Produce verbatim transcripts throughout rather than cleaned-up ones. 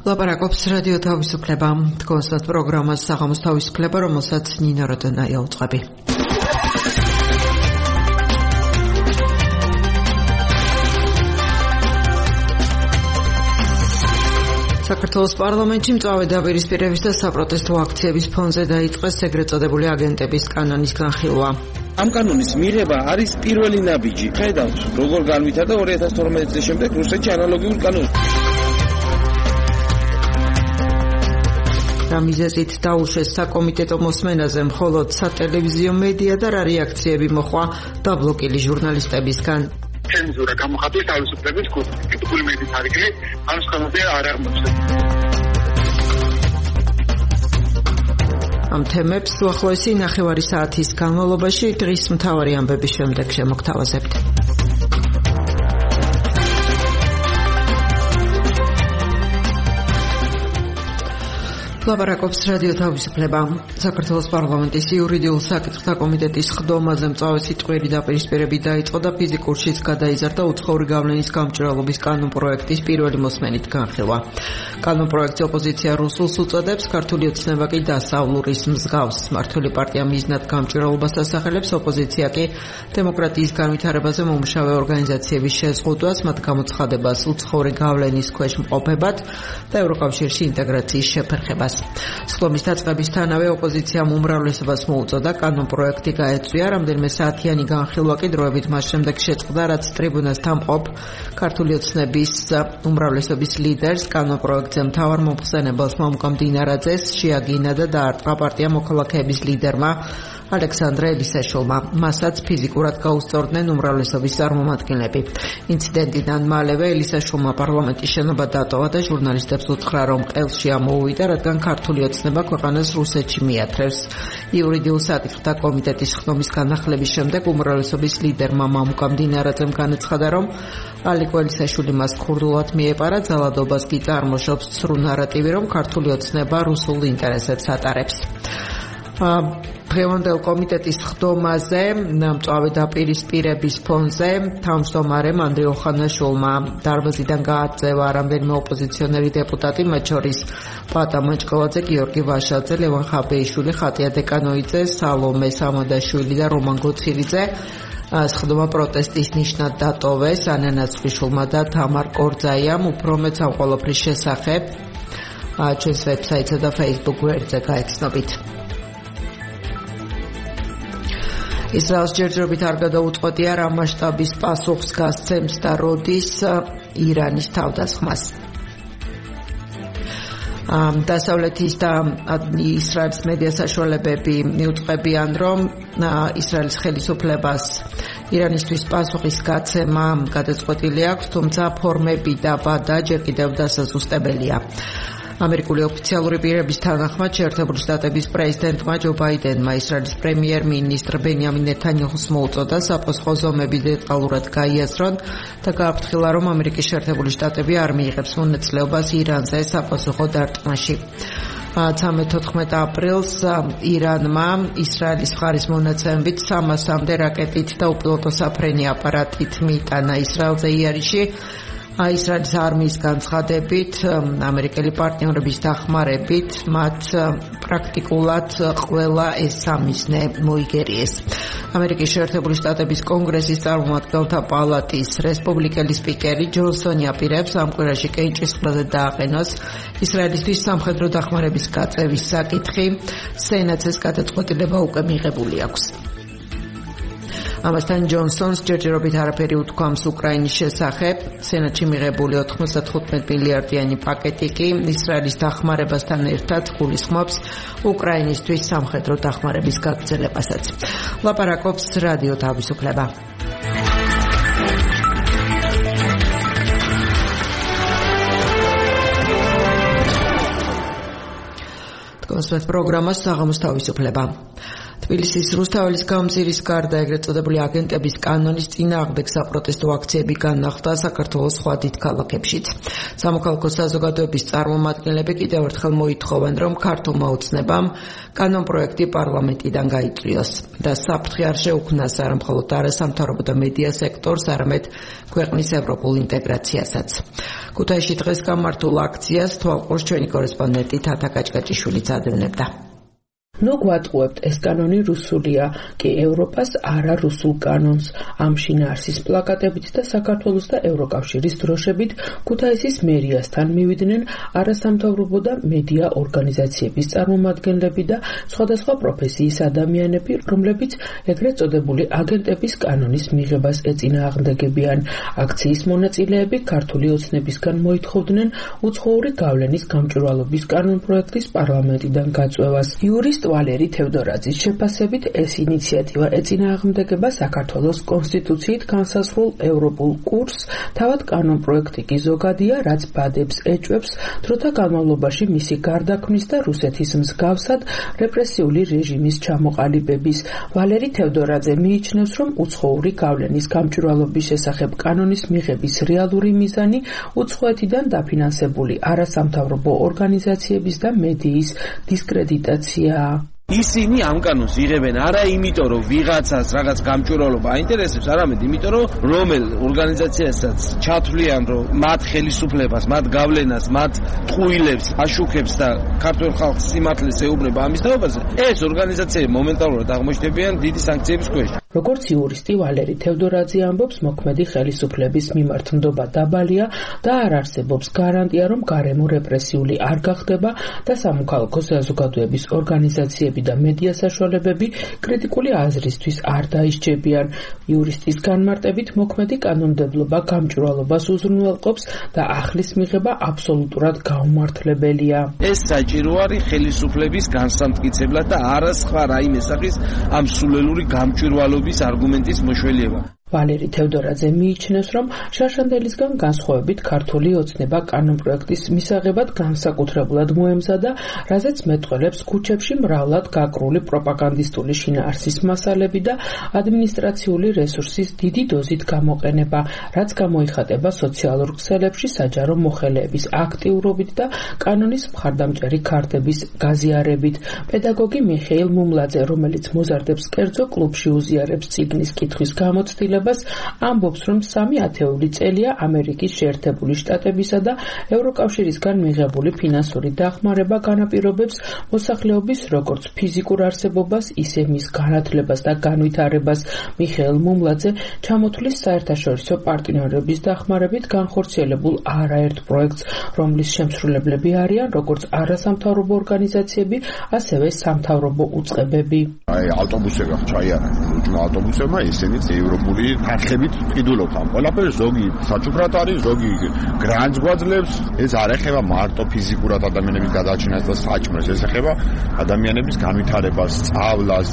ლაპარაკობს რადიო თავისუფლება. თქვენს პროგრამას საღამოს თავისუფლება, რომელსაც ნინო როდონაია უწყები. საქართველოს პარლამენტში მწვავე დაპირისპირების და საპროტესტო აქციების ფონზე დაიწყეს ეგრეთ წოდებული აგენტების კანონის განხილვა. ამ კანონის მიღება არის პირველი ნაბიჯი. ხედავთ, როგორ განვითარდა ორი ათას თორმეტი წლის შემდეგ რუსეთში ანალოგიურ კანონს. რა მიზეზით დაუშვეს საკომიტეტო მოსმენაზე მხოლოდ სატელევიზიო მედია და რა რეაქციები მოხდა დაბლოკილი ჟურნალისტებისგან. ცენზურა გამოხატვის თავისუფლების კუთვნილი მედიის არიგლი ამ სქემაზე არ აღმოჩნდა. ამ თემებს უახლოესი ნახევარი საათის განმავლობაში დღის მთავარი ამბების შემდეგ შემოგთავაზებთ. ლაპარაკობს რადიო თავისუფლება. საქართველოს პარლამენტის იურიდიულ საკითხთა კომიტეტის ხდომაზე მწვავე სიტყვიერი დაპირისპირები დაიწყო და ფიზიკურშიც გადაიზარდა უცხოური გავლენის გამჭვირვალობის კანონპროექტის პირველი მოსმენით განხილვა. კანონპროექტს ოპოზიცია რუსულს უწოდებს, ქართული ოცნება კი დასავლურის მსგავს. მართული პარტია მიზნად გამჭვირვალობას ასახელებს, ოპოზიცია კი დემოკრატიის განვითარებაზე მომუშავე ორგანიზაციების შეზღუდვას, მათ გამოცხადებას უცხოური გავლენის ქვეშ მყოფებად და ევროკავშირში ინტეგრაციის შეფერხებას. სხდომის დაწყებისთანავე ოპოზიციამ უმრავლესობას მოუწოდა კანონპროექტი გაეწვია, რამდენიმე საათიანი განხილვა კი დროებით მას შემდეგ შეწყდა, რაც ტრიბუნას თამყოფ ქართული ოცნების უმრავლესობის ლიდერს, კანონპროექტზე მთავარ მომხსენებელს მამუკა მდინარაძეს შეაგინა და დაარტყა პარტია მოქალაქეების ლიდერმა ალექსანდრე ელისაშვილმა. მასაც ფიზიკურად გაუსწორდნენ უმრავლესობის წარმომადგენლები. ინციდენტიდან მალევე ელისაშვილმა პარლამენტის შენობა დატოვა და ჟურნალისტებს უთხრა, რომ ყელში ამოუვიდა, რადგან ქართული ოცნება ქვეყანას რუსეთში მიათრევს. იურიდიულ საკითხთა კომიტეტის ხდომის განახლების შემდეგ უმრავლესობის ლიდერმა მამუკა მდინარაძემ განაცხადა, რომ ალიკო ელისაშვილი მას ქურდულად მიეპარა, ძალადობას კი წარმოშობს ცრუ ნარატივი, რომ ქართული ოცნება რუსულ ინტერესებს ატარებს. დღევანდელ კომიტეტის ხდომაზე მწვავე დაპირისპირების ფონზე თავმჯდომარემ ანდრე ოხანაშვილმა დარბაზიდან გააწევა რამდენიმე ოპოზიციონერი დეპუტატი, მათ შორის პატა მაჭკოვაძე, გიორგი ვაშაძე, ლევან ხაბეიშვილი, ხატია დეკანოიძე, სალომე სამადაშვილი და რომან გოცირიძე. სხდომა პროტესტის ნიშნად დატოვეს. ანანა ცხვიშვილმა და თამარ კორძაიამ უფრო მეტ ამ ყველაფრის შესახებ ჩვენს ვებსაიტსა და Facebook გვერდზე გაეცნობით. ისრაელს ჯერჯერობით არ გადაუწყვეტია რა მასშტაბის პასუხს გასცემს და როდის ირანის თავდასხმას. დასავლეთის და ისრაელის მედია საშუალებები მიუწყებიან, რომ ისრაელის ხელისუფლებას ირანისთვის პასუხის გაცემა გადაწყვეტილი აქვს, თუმცა ფორმები და ვადა ჯერ კიდევ დასაზუსტებელია. ამერიკული ოფიციალური პირების თანახმად შეერთებული შტატების პრეზიდენტმა ჯო ბაიდენმა ისრაელის პრემიერ-მინისტრ ბენიამინ ნეთანიაჰუს მოუწოდა საფოსყო ზომები დეტალურად გაიაზრონ და გააფრთხილა, რომ ამერიკის შეერთებული შტატები არ მიიღებს მონაწილეობას ირანზე საფოსყო დარტყმაში. თერთმეტ აპრილს ირანმა ისრაელის მხარის მონაცემებით სამასამდე რაკეტით და უპილოტო საფრენი აპარატით მიიტანა ისრაელზე იერიში. ისრაელის არმიის განცხადებით, ამერიკელი პარტნიორების დახმარებით, მათ პრაქტიკულად ყველა ეს სამიზნე მოიგერიეს. ამერიკის შეერთებული შტატების კონგრესის წარმომადგენელთა პალატის რესპუბლიკელი სპიკერი ჯონსონი აპირებს ამ კვირაში კენჭისყრაზე დააყენოს ისრაელისთვის სამხედრო დახმარების გაწევის საკითხი. სენატს ეს გადაწყვეტილება უკვე მიღებული აქვს. ამასთან ჯონსონს ჯერჯერობით არაფერი უთქვამს უკრაინის შესახებ. სენატში მიღებული ოთხმოცდათხუთმეტ მილიარდიანი პაკეტი კი ისრაელის დახმარებასთან ერთად გულისხმობს უკრაინისთვის სამხედრო დახმარების გაგრძელებასაც. ლაპარაკობს რადიო თავისუფლება. თქვენს პროგრამას საღამოს თავისუფლება. თბილისის რუსთაველის გამზირის გარდა ეგრეთ წოდებული აგენტების კანონის წინააღმდეგ საპროტესტო აქციები განახლდა საქართველოს სხვა დიდ ქალაქებშიც. სამოქალაქო საზოგადოების წარმომადგენლები კიდევ ერთხელ მოითხოვენ, რომ ქართულმა ოცნებამ კანონპროექტი პარლამენტიდან გაიწვიოს და საფრთხე არ შეუქმნას არა მხოლოდ არასამთავრობო და მედია სექტორს, არამედ ქვეყნის ევროპულ ინტეგრაციასაც. ქუთაისში დღეს გამართულ აქციას თვალყურს ჩვენი კორესპონდენტი თათა კაჭკაჭიშვილიც ადევნებდა. ნუ გვატყუებთ, ეს კანონი რუსულია, კი ევროპას არა რუსულ კანონს. ამ შინაარსის პლაკატებით და საქართველოს და ევროკავშირის დროშებით ქუთაისის მერიასთან მივიდნენ არასამთავრობო და მედია ორგანიზაციების წარმომადგენლები და სხვადასხვა პროფესიის ადამიანები, რომლებიც ეგრეთ წოდებული აგენტების კანონის მიღებას ეწინააღმდეგებიან. აქციის მონაწილეები ქართული ოცნებისგან მოითხოვდნენ უცხოური გავლენის გამჭვირვალობის კანონპროექტის პარლამენტიდან გაწვევას. იურისტ ვალერი თევდორაძის შეფასებით ეს ინიციატივა ეწინააღმდეგება საქართველოს კონსტიტუციით განსაზღვრულ ევროპულ კურსს, თავად კანონპროექტი კი ზოგადია, რაც ბადებს ეჭვებს დროთა განმავლობაში მისი გარდაქმნის და რუსეთის მსგავსად რეპრესიული რეჟიმის ჩამოყალიბების. ვალერი თევდორაძე მიიჩნევს, რომ უცხოური გავლენის გამჭვირვალობის შესახებ კანონის მიღების რეალური მიზანი უცხოეთიდან დაფინანსებული არასამთავრობო ორგანიზაციების და მედიის დისკრედიტაციაა. ისინი ამ კანონს იღებენ არა იმიტომ, რომ ვიღაცას რაღაც გამჭვირვალობა აინტერესებს, არამედ იმიტომ, რომ რომელ ორგანიზაციასაც ჩათვლიან, რომ მათ ხელისუფლებას, მათ გავლენას, მათ ტყუილებს, აშუქებს და ქართულ ხალხს სიმართლეს ეუბნება ამის თაობაზე, ეს ორგანიზაციები მომენტალურად აღმოჩნდებიან დიდი სანქციების ქვეშ. როგორც იურისტი ვალერი თევდორაძე ამბობს, მოქმედი ხელისუფლების მიმართ ნდობა დაბალია და არ არსებობს გარანტია, რომ გარემო რეპრესიული არ გახდება და სამოქალაქო საზოგადოების ორგანიზაციები და მედია საშუალებები კრიტიკული აზრისთვის არ დაისჯებიან. იურისტის განმარტებით, მოქმედი კანონმდებლობა გამჭვირვალობას უზრუნველყოფს და ახლის მიღება აბსოლუტურად გაუმართლებელია. ეს საჭირო არის ხელისუფლების განსამტკიცებლად და არა სხვა რაიმე სახის ამ სულელური გამჭვირვალობის არგუმენტის მოშველება. ვალერი თევდორაძე მიიჩნევს, რომ შარშანდელისგან განსხვავებით ქართული ოცნება კანონპროექტის მისაღებად განსაკუთრებულად მოემზადა, რაზეც მეტყველებს ქუჩებში მრავლად გაკრული პროპაგანდისტული შინაარსის მასალები და ადმინისტრაციული რესურსის დიდი დოზით გამოყენება, რაც გამოიხატება სოციალურ ქსელებში საჯარო მოხელეების აქტიურობით და კანონის მხარდამჭერი ქართების გაზიარებით. პედაგოგი მიხეილ მუმლაძე, რომელიც მოზარდებს კერძო კლუბში უზიარებს წიგნის კითხვის გამოცდილებას, ამბობს, რომ სამი ათეული წელია ამერიკის შეერთებული შტატებისა და ევროკავშირისგან მიღებული ფინანსური დახმარება განაპირობებს მოსახლეობის როგორც ფიზიკურ არსებობას, ისე მის განათლებას და განვითარებას. მიხეილ მუმლაძე ჩამოთვლის საერთაშორისო პარტნიორების დახმარებით განხორციელებულ არაერთ პროექტს, რომლის შემსრულებლები არიან როგორც არასამთავრობო ორგანიზაციები, ასევე სამთავრობო უწყებები. აი ავტობუსები ჩაიარა, უჯმა ავტობუსებმა ისინიც ევროპული თანხებით ყიდულობთ ამ ყველაფერს, ზოგი საჩუქრად არის, ზოგი გრანტს გვაძლევს. ეს არ ეხება მარტო ფიზიკურად ადამიანების გადააჩენას და საჭმელს, ეს ეხება ადამიანების განვითარებას, სწავლას,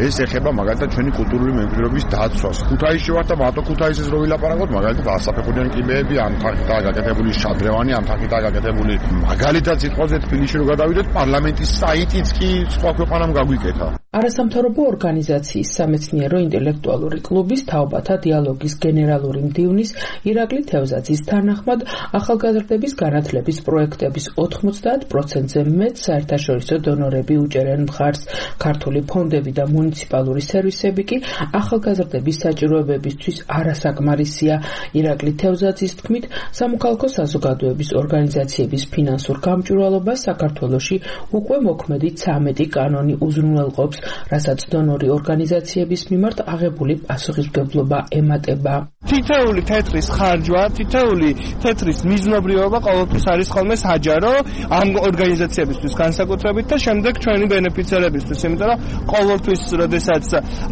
ეს ეხება მაგალითად ჩვენი კულტურული მემკვიდრეობის დაცვას. ქუთაისში ვარ და მარტო ქუთაისის რო ვილაპარაკოთ, მაგალითად ასაფეხურიანი კიბეები, ამ თანხითაა გაკეთებული შადრევანი, ამ თანხითაა გაკეთებული. მაგალითად სიტყვაზე თბილისში რო გადავიდეთ, პარლამენტის საიტიც კი სხვა ქვეყანამ გაგვიკეთა. არასამთავრობო ორგანიზაციის სამეცნიერო ინტელექტუალური კლუბის თაობათა დიალოგის გენერალური მდივნის ირაკლი თევზაძის თანახმად, ახალგაზრდების განათლების პროექტების ოთხმოცდაათ პროცენტზე მეტ საერთაშორისო დონორები უჭერენ მხარს. ქართული ფონდები და მუნიციპალური სერვისები კი ახალგაზრდების საჭიროებებისთვის არასაკმარისია. ირაკლი თევზაძის თქმით, სამოქალაქო საზოგადოების ორგანიზაციების ფინანსურ გამჭვირვალობას საქართველოში უკვე მოქმედი ცამეტი კანონი უზრუნველყოფს, რასაც დონორი ორგანიზაციების მიმართ აღებული პასუხისმგებლობა ემატება. თითოეული თეთრის ხარჯვა, თითოეული თეთრის მიზნობრიობა ყოველთვის არის ხოლმე საჯარო ამ ორგანიზაციებისთვის განსაკუთრებით და შემდეგ ჩვენი ბენეფიციარებისთვის, იმიტომ რომ ყოველთვის როდესაც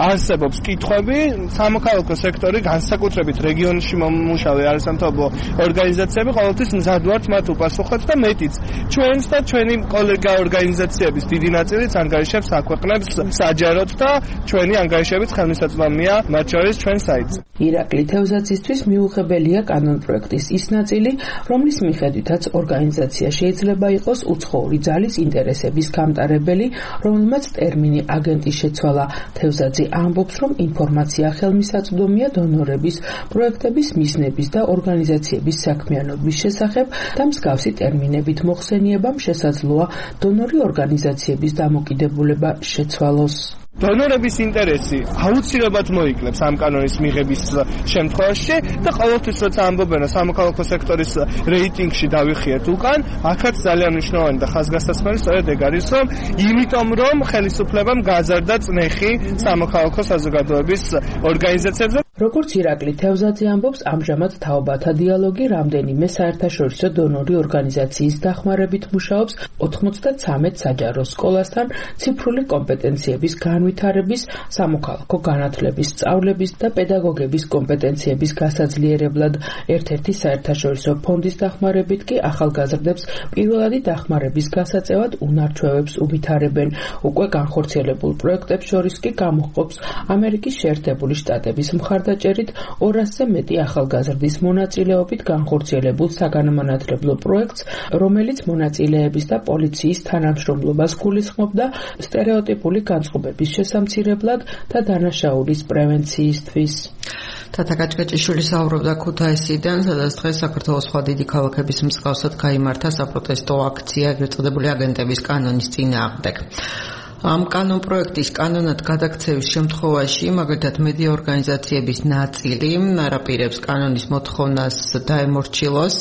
არსებობს კითხვები, სამოქალაქო სექტორი განსაკუთრებით რეგიონში მომუშავე არასამთავრობო ორგანიზაციები ყოველთვის მზად ვართ მათ უპასუხოთ და მეტიც ჩვენს და ჩვენი კოლეგა ორგანიზაციების დიდი ნაწილიც ანგარიშებს აქვეყნებს საჯაროდ და ჩვენი ანგარიშებიც ხელმისაწვდომია, მათ შორის ჩვენ საიტზე. ირაკლი თევზაძისთვის მიუღებელია კანონპროექტის ის ნაწილი, რომლის მიხედვითაც ორგანიზაცია შეიძლება იყოს უცხოური ძალის ინტერესების გამტარებელი, რომელმაც ტერმინი აგენტი შეცვალა. თევზაძე ამბობს, რომ ინფორმაცია ხელმისაწვდომია დონორების, პროექტების მიზნების და ორგანიზაციების საქმიანობის შესახებ და მსგავსი ტერმინებით მოხსენიებამ შესაძლოა დონორი ორგანიზაციების დამოკიდებულება შეცვალოს. დონორების ინტერესი აუცილებლად მოიკლებს ამ კანონის მიღების შემთხვევაში და ყოველთვის როცა ამბობენ სამოქალაქო სექტორის რეიტინგში დავიხიეთ უკან, აქაც ძალიან მნიშვნელოვანი და ხაზგასმული სწორედ ეგ არის, რომ იმიტომ რომ ხელისუფლებამ გაზარდა წნეხი სამოქალაქო საზოგადოების ორგანიზაციებზე. როგორც ირაკლი თევზაძე ამბობს, ამჟამად თაობათა დიალოგი რამდენიმე საერთაშორისო დონორი ორგანიზაციის დახმარებით მუშაობს ოთხმოცდათრამეტ საჯარო სკოლასთან ციფრული კომპეტენციების განვითარების, სამოქალაქო განათლების, სწავლების და პედაგოგების კომპეტენციების გასაძლიერებლად. ერთ-ერთი საერთაშორისო ფონდის დახმარებით კი ახალგაზრდებს პირველადი დახმარების გასაწევად უნარჩვევებს უვითარებენ. უკვე განხორციელებულ პროექტებს შორის კი გამოჰყოფს ამერიკის შეერთებული შტატების მხარდაჭერით ორასზე მეტი ახალგაზრდის მონაწილეობით განხორციელებულ საგანმანათლებლო პროექტს, რომელიც მონაწილეების და პოლიციის თანამშრომლობას გულისხმობდა სტერეოტიპული განწყობების შესამცირებლად და დანაშაულის პრევენციისთვის. თათა გაჭგაჭიშვილი საუბრობდა ქუთაისიდან, სადაც დღეს საქართველოს სხვა დიდი ქალაქების მსგავსად გაიმართა საპროტესტო აქცია, ეგრეთ წოდებული აგენტების კანონის წინააღმდეგ. ამ კანონპროექტის კანონად გადაქცევის შემთხვევაში, მაგალითად, მედია ორგანიზაციების ნაწილი არაპირებს კანონის მოთხოვნას დაემორჩილოს.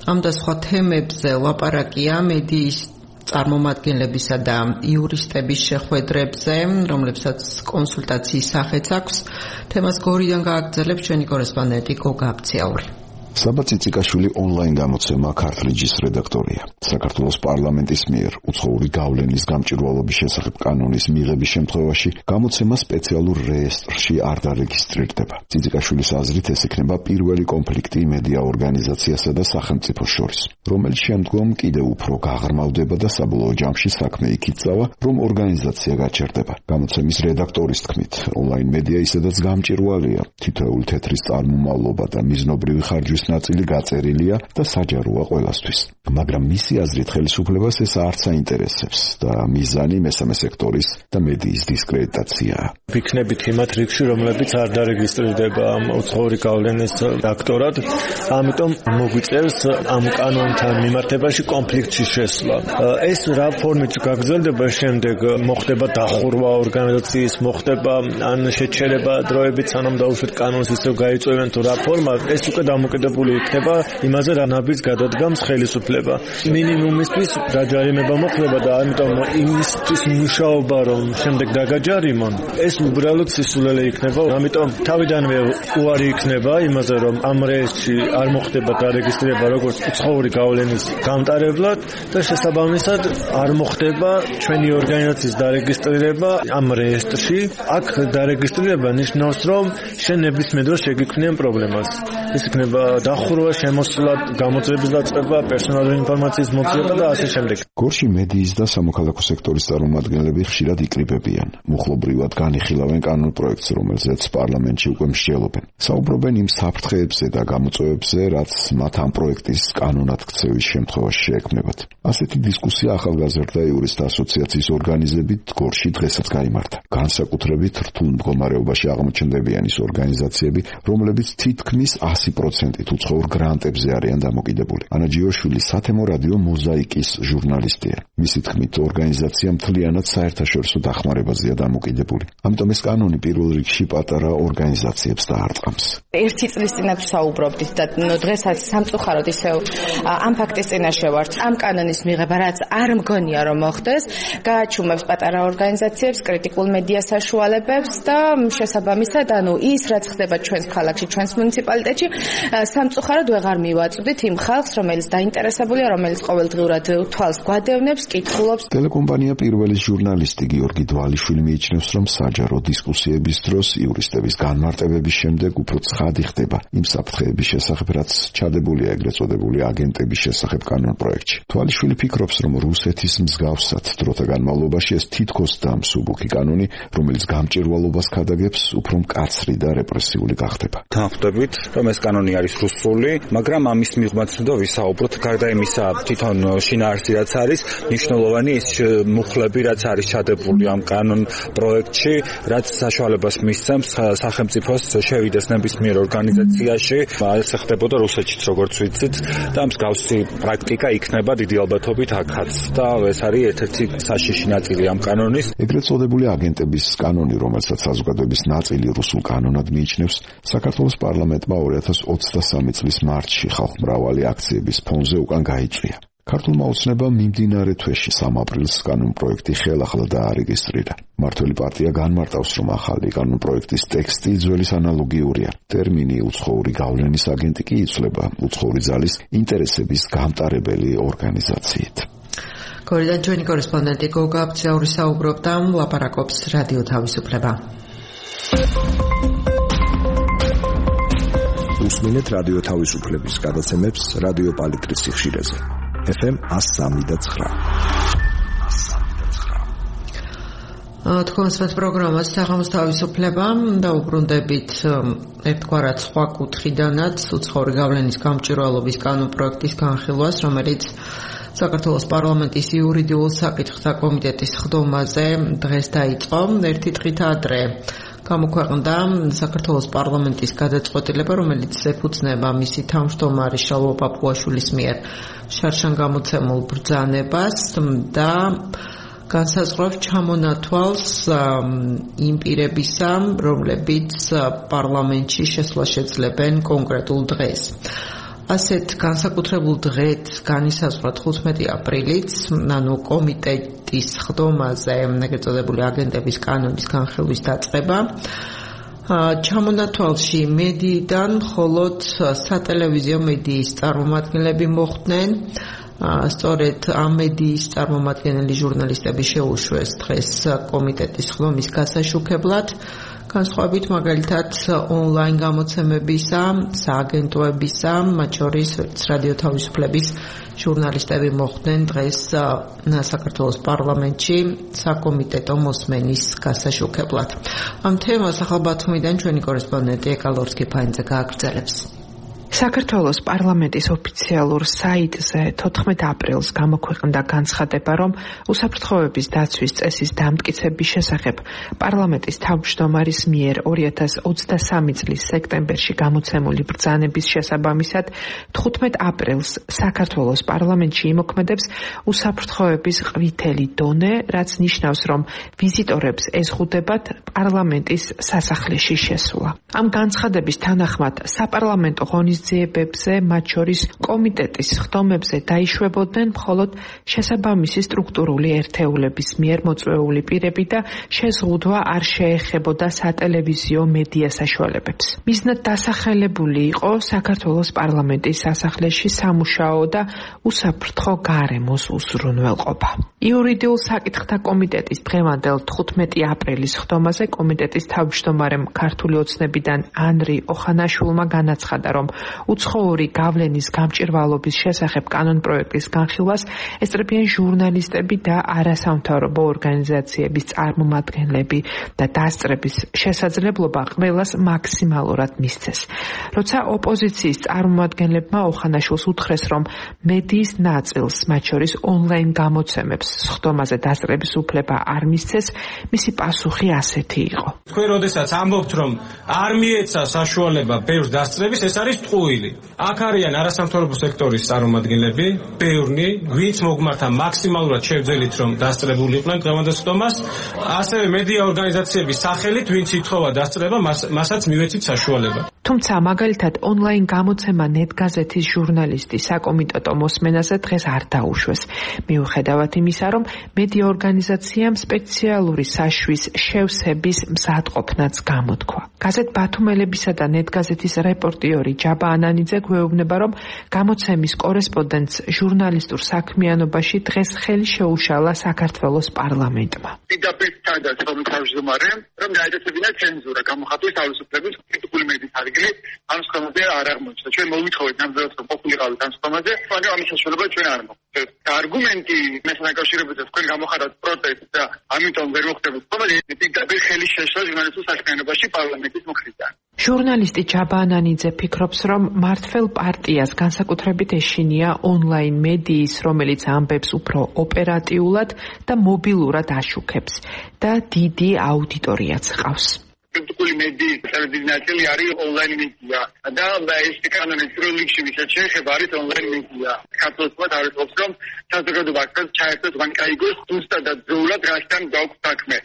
ამ და სხვა თემებზე ლაპარაკია მედიის წარმომადგენლებისა და იურისტების შეხვედრებზე, რომლებსაც კონსულტაციის სახეც აქვს. თემას გორიდან გააგრძელებს ჩვენი კორესპონდენტი გოგა აბციაური. საბა ციციკაშვილი ონლაინ გამოცემა ქართლიჯის რედაქტორია. საქართველოს პარლამენტის მიერ უცხოური გავლენის გამჭვირვალობის შესახებ კანონის მიღების შემთხვევაში გამოცემა სპეციალურ რეესტრში არ დარეგისტრირდება. ციციკაშვილის აზრით ეს იქნება პირველი კონფლიქტი მედია ორგანიზაციასა და სახელმწიფოს შორის, რომელიც შემდგომ კიდევ უფრო გაღრმავდება და საბოლოო ჯამში საქმე იქით წავა, რომ ორგანიზაცია გაჩერდება. გამოცემის რედაქტორის თქმით, ონლაინ მედია ისედაც გამჭვირვალეა. თითოეული თეთრის წარმომავლობა და მიზნობრივი ხარჯვის ნაწილი გაწერილია და საჯაროა ყველასთვის. მაგრამ მისი აზრით ხელისუფლებას ეს არც აინტერესებს და მიზანი მესამე სექტორის და მედიის დისკრედიტაციაა. ვიქნებით იმათ რიგში, რომლებიც არ დარეგისტრირდება უცხოური გავლენის აქტორად, ამიტომ მოგვიწევს ამ კანონთან მიმართებაში კონფლიქტში შესვლა. ეს რა ფორმით გაგრძელდება შემდეგ, მოხდება დახურვა ორგანიზაციის, მოხდება ან შეჩერება დროებით, სანამ დაუშვით კანონს ისევ გაიწევენ თუ რა ფორმა, ეს უკვე დამოკიდებული იქნება იმაზე, რა ნაბიჯს გადადგამს ხელისუფლება. მინიმუმისთვის დაჯარიმება მოხდება და ამიტომ იმისთვის მუშაობა, რომ შემდეგ დაგაჯარიმონ, ეს უბრალოდ სისულელე იქნება. ამიტომ თავიდანვე უარი იქნება იმაზე, რომ ამ რეესტრში არ მოხდება დარეგისტრირება როგორც უცხოური გავლენის გამტარებლად და შესაბამისად არ მოხდება ჩვენი ორგანიზაციის დარეგისტრირება ამ რეესტრში. აქ დარეგისტრირება ნიშნავს, რომ შენ ნებისმიერ დროს შეგიქმნიან პრობლემას. ეს იქნება დახურვა, შემოსვლა, გამოძიების დაწყება, პერსონალური ინფორმაციის მოძიება და ასე შემდეგ. გორში მედიის და სამოქალაქო სექტორის წარმომადგენლები ხშირად იკრიბებიან. მუხლობრივად განიხილავენ კანონპროექტს, რომელზეც პარლამენტში უკვე მსჯელობენ. საუბრობენ იმ საფრთხეებზე და გამოწვევებზე, რაც მათ ამ პროექტის კანონად ქცევის შემთხვევაში შეექმნებათ. ასეთი დისკუსია ახალგაზრდა იურისტთა ასოციაციის ორგანიზებით გორში დღესაც გაიმართა. განსაკუთრებით რთულ მდგომარეობაში აღმოჩნდებიან ის ორგანიზაციები, რომლებიც თითქმის ასი პროცენტით უცხოურ გრანტებზე არიან დამოკიდებული. ანა ჯიოშვილი სათემო რადიო მოზაიკის ჟურნალისტია. მისი თქმით, ორგანიზაცია მთლიანად საერთაშორისო დახმარებაზეა დამოკიდებული. ამიტომ ეს კანონი პირველ რიგში პატარა ორგანიზაციებს დაარწმუნებს. ერთი წლის წინათ საუბრობდით და დღესაც სამწუხაროდ ისევ ამ ფაქტის წინაშე ვართ. ამ კანონის მიღება, რაც არ მგონია რომ მოხდეს, გააჩუმებს პატარა ორგანიზაციებს, კრიტიკულ მედია საშუალებებს და შესაბამისად, ანუ ის, რაც ხდება ჩვენს ქალაქში, ჩვენს მუნიციპალიტეტში, სამწუხაროდ ვეღარ მივაწვდით იმ ხალხს, რომელიც დაინტერესებულია, რომელიც ყოველდღიურად თვალს გვადევნებს, კითხულობს. ტელეკომპანია პირველის ჟურნალისტი გიორგი დვალიშვილი მიიჩნევს, რომ საჯარო დისკუსიების დროს იურისტების განმარტებების შემდეგ უფრო ცხადი ხდება იმ საფრთხეების შესახებ, რაც ჩადებულია ეგრეთ წოდებული აგენტების შესახებ კანონპროექტში. დვალიშვილი ფიქრობს, რომ რუსეთის მსგავსად დროთა განმავლობაში ეს თითქოს დამსუბუქი კანონი, რომელიც გამჭირვალობას ქადაგებს, უფრო მკაცრი და რეპრესიული გახდება. Თანხმდებით, რომ ეს კანონი არის რუსული, მაგრამ ამის მიღმაც უნდა ვისაუბროთ, გარდა იმისა, თვითონ შინაარსი რაც არის, მნიშვნელოვანი ის მუხლები, რაც არის ჩადებული ამ კანონ პროექტში, რაც საშუალებას მისცემს სახელმწიფოს შევიდეს ნებისმიერ ორგანიზაციაში, ეს ხდებოდა რუსეთშიც, როგორც ვიცით, და მსგავსი პრაქტიკა იქნება დიდი ალბათობით აქაც. და ეს არის ერთ-ერთი საშიში ნაწილი ამ კანონის. ეგრეთ წოდებული აგენტების კანონი, რომელსაც საზოგადოების ნაწილი რუსულ კანონად მიიჩნევს, საქართველოს პარლამენტმა ორი ათას ოცდასამი წლის მარტში ხალხმრავალი აქციების ფონზე უკან გაიწვია. ქართულმა ოცნებამ მიმდინარე თვეში სამ აპრილს კანონპროექტი ხელახლა დაარეგისტრირა. მმართველი პარტია განმარტავს, რომ ახალი კანონპროექტის ტექსტი ძველის ანალოგიურია. ტერმინი უცხოური გავლენის აგენტი კი იცვლება უცხოური ძალის ინტერესების გამტარებელი ორგანიზაციით. გორიდან ჩვენი კორესპონდენტი გოგა აბცაური საუბრობდა, ლაპარაკობს რადიო თავისუფლება. უსმინეთ რადიო თავისუფლების გადაცემებს რადიო პალიტრის სიხშირეზე. ეფ ემ one oh three point nine. თქვენს პროგრამას საღამოს თავისუფლება და უბრუნდებით ერთგვარად სხვა კუთხიდანაც უცხოური გავლენის გამჭვირვალობის კანონპროექტის განხილვას, რომელიც საქართველოს პარლამენტის იურიდიულ საკითხთა კომიტეტის ხდომაზე დღეს დაიწყო. ერთი დღით ადრე გამოქვეყნდა საქართველოს პარლამენტის გადაწყვეტილება, რომელიც ეფუძნება მისი თავმჯდომარის შალვა პაპუაშვილის მიერ შარშან გამოცემულ ბრძანებას და განსაზღვრავს ჩამონათვალს იმ პირებისა, რომლებიც პარლამენტში შესვლა შეძლებენ კონკრეტულ დღეს. ასეთ განსაკუთრებულ დღეთ განისაზღვრა თხუთმეტი აპრილიც, ანუ კომიტეტის ხდომაზე ეგრეთ წოდებული აგენტების კანონის განხილვის დაწყება. ჩამონათვალში მედიიდან მხოლოდ სატელევიზიო მედიის წარმომადგენლები მოხვდნენ. სწორედ ამ მედიის წარმომადგენელი ჟურნალისტები შეუშვეს დღეს კომიტეტის ხდომის გასაშუქებლად. განსხვავებით მაგალითად ონლაინ გამოცემებისა, სააგენტოებისა, მათ შორის რადიო თავისუფლების ჟურნალისტები მოხვდნენ დღეს საქართველოს პარლამენტში საკომიტეტო მოსმენის გასაშუქებლად. ამ თემას ახალ ბათუმიდან ჩვენი კორესპონდენტი ეკალორსკი ფაინძე გააგრძელებს. საქართველოს პარლამენტის ოფიციალურ საიტზე თოთხმეტი აპრილს გამოქვეყნდა განცხადება, რომ უსაფრთხოების დაცვის წესის დამტკიცების შესახებ პარლამენტის თავმჯდომარის მიერ ორი ათას ოცდასამი წლის სექტემბერში გამოცემული ბრძანების შესაბამისად თხუთმეტი აპრილს საქართველოს პარლამენტში იმოქმედებს უსაფრთხოების ყვითელი დონე, რაც ნიშნავს, რომ ვიზიტორებს ეზღუდებათ პარლამენტის სასახლეში შესვლა. ამ განცხადების თანახმად საპარლამენტო ღონისძიებებზე, მათ შორის კომიტეტის ხდომებზე დაიშვებოდნენ მხოლოდ შესაბამისი სტრუქტურული ერთეულების მიერ მოწვეული პირები და შეზღუდვა არ შეეხებოდა სატელევიზიო მედია საშუალებებს. მიზნად დასახელებული იყო საქართველოს პარლამენტის სასახლეში სამუშაო და უსაფრთხო გარემოს უზრუნველყოფა. იურიდიულ საკითხთა კომიტეტის დღევანდელ თხუთმეტი აპრილის ხდომაზე კომიტეტის თავმჯდომარემ ქართული ოცნებიდან ანრი ოხანაშვილმა განაცხადა, რომ უცხოური გავლენის გამჭვირვალობის შესახებ კანონპროექტის განხილვას ესწრებიან ჟურნალისტები და არასამთავრობო ორგანიზაციების წარმომადგენლები და დასწრების შესაძლებლობა ყველას მაქსიმალურად მისცეს. როცა ოპოზიციის წარმომადგენლებმა ოხანაშვილს უთხრეს, რომ მედიის ნაწილს, მათ შორის ონლაინ გამოცემებს ხდომაზე დასწრების უფლება არ მისცეს, მისი პასუხი ასეთი იყო. თქვენ როდესაც ამბობთ, რომ არ მიეცა საშუალება ბევრ დასწრების, ეს არის ტყუილი. აქ არიან არასამთავრობო სექტორის წარმომადგენლები, ბევრნი, ვინც მოგმართა მაქსიმალურად შევძელით, რომ დასწრებულიყვნენ დღევანდელ ხდომას, ასევე მედია ორგანიზაციების სახელით, ვინც ითხოვა დასწრება, მასაც მივეცით საშუალება. თუმცა მაგალითად ონლაინ გამოცემა ნეტგაზეთის ჟურნალისტი საკომიტეტო მოსმენაზე დღეს არ დაუშვეს. მიუხედავად იმისა, რომ მედია ორგანიზაციამ სპეციალური საშვის შევსების მზადყოფნაც გამოთქვა. გაზეთ ბათუმელებისა და ნეტგაზეთის რეპორტიორი ჯაბა ანანიძე გვეუბნება, რომ გამოცემის კორესპონდენტს ჟურნალისტურ საქმიანობაში დღეს ხელი შეუშალა საქართველოს პარლამენტმა. პირდაპირ სადაც რომ თავმჯდომარემ, რომ დაეწესებინა ცენზურა გამოხატვის თავისუფლების კრიტიკული მედიის ადგილი ამ სხდომაზე არ აღმოჩნდა. ჩვენ მოვითხოვეთ ნამდვილად რომ ყოფილიყავით ამ სხდომაზე, მაგრამ ამის საშუალება ჩვენ არ მოგვწევთ. არგუმენტი მესამე დაკავშირებაზე თქვენ გამოხატავთ პროტესტს და ამიტომ ვერ მოხდებოდა სხდომაზე, პირდაპირ ხელი შეშლა ჟურნალისტურ საქმიანობაში პარლამენტის მხრიდან. ჟურნალისტი ჯაბა ანანიძე ფიქრობს, რომ მართველ პარტიას განსაკუთრებით ეშინია ონლაინ მედიის, რომელიც ამბებს უფრო ოპერატიულად და მობილურად აშუქებს და დიდი აუდიტორიაც ჰყავს. კრიტიკული მედიის დიდი ნაწილი არის ონლაინ მედია და ეს კანონის როლიქში ვისაც შეეხება არის ონლაინ მედია. საქართველოს თავისუფლებს რომ საზოგადოება აქაც ჩაერთოს ვანკაიგოს ზუსტად ძროულად რასთან გაქვს საქმე.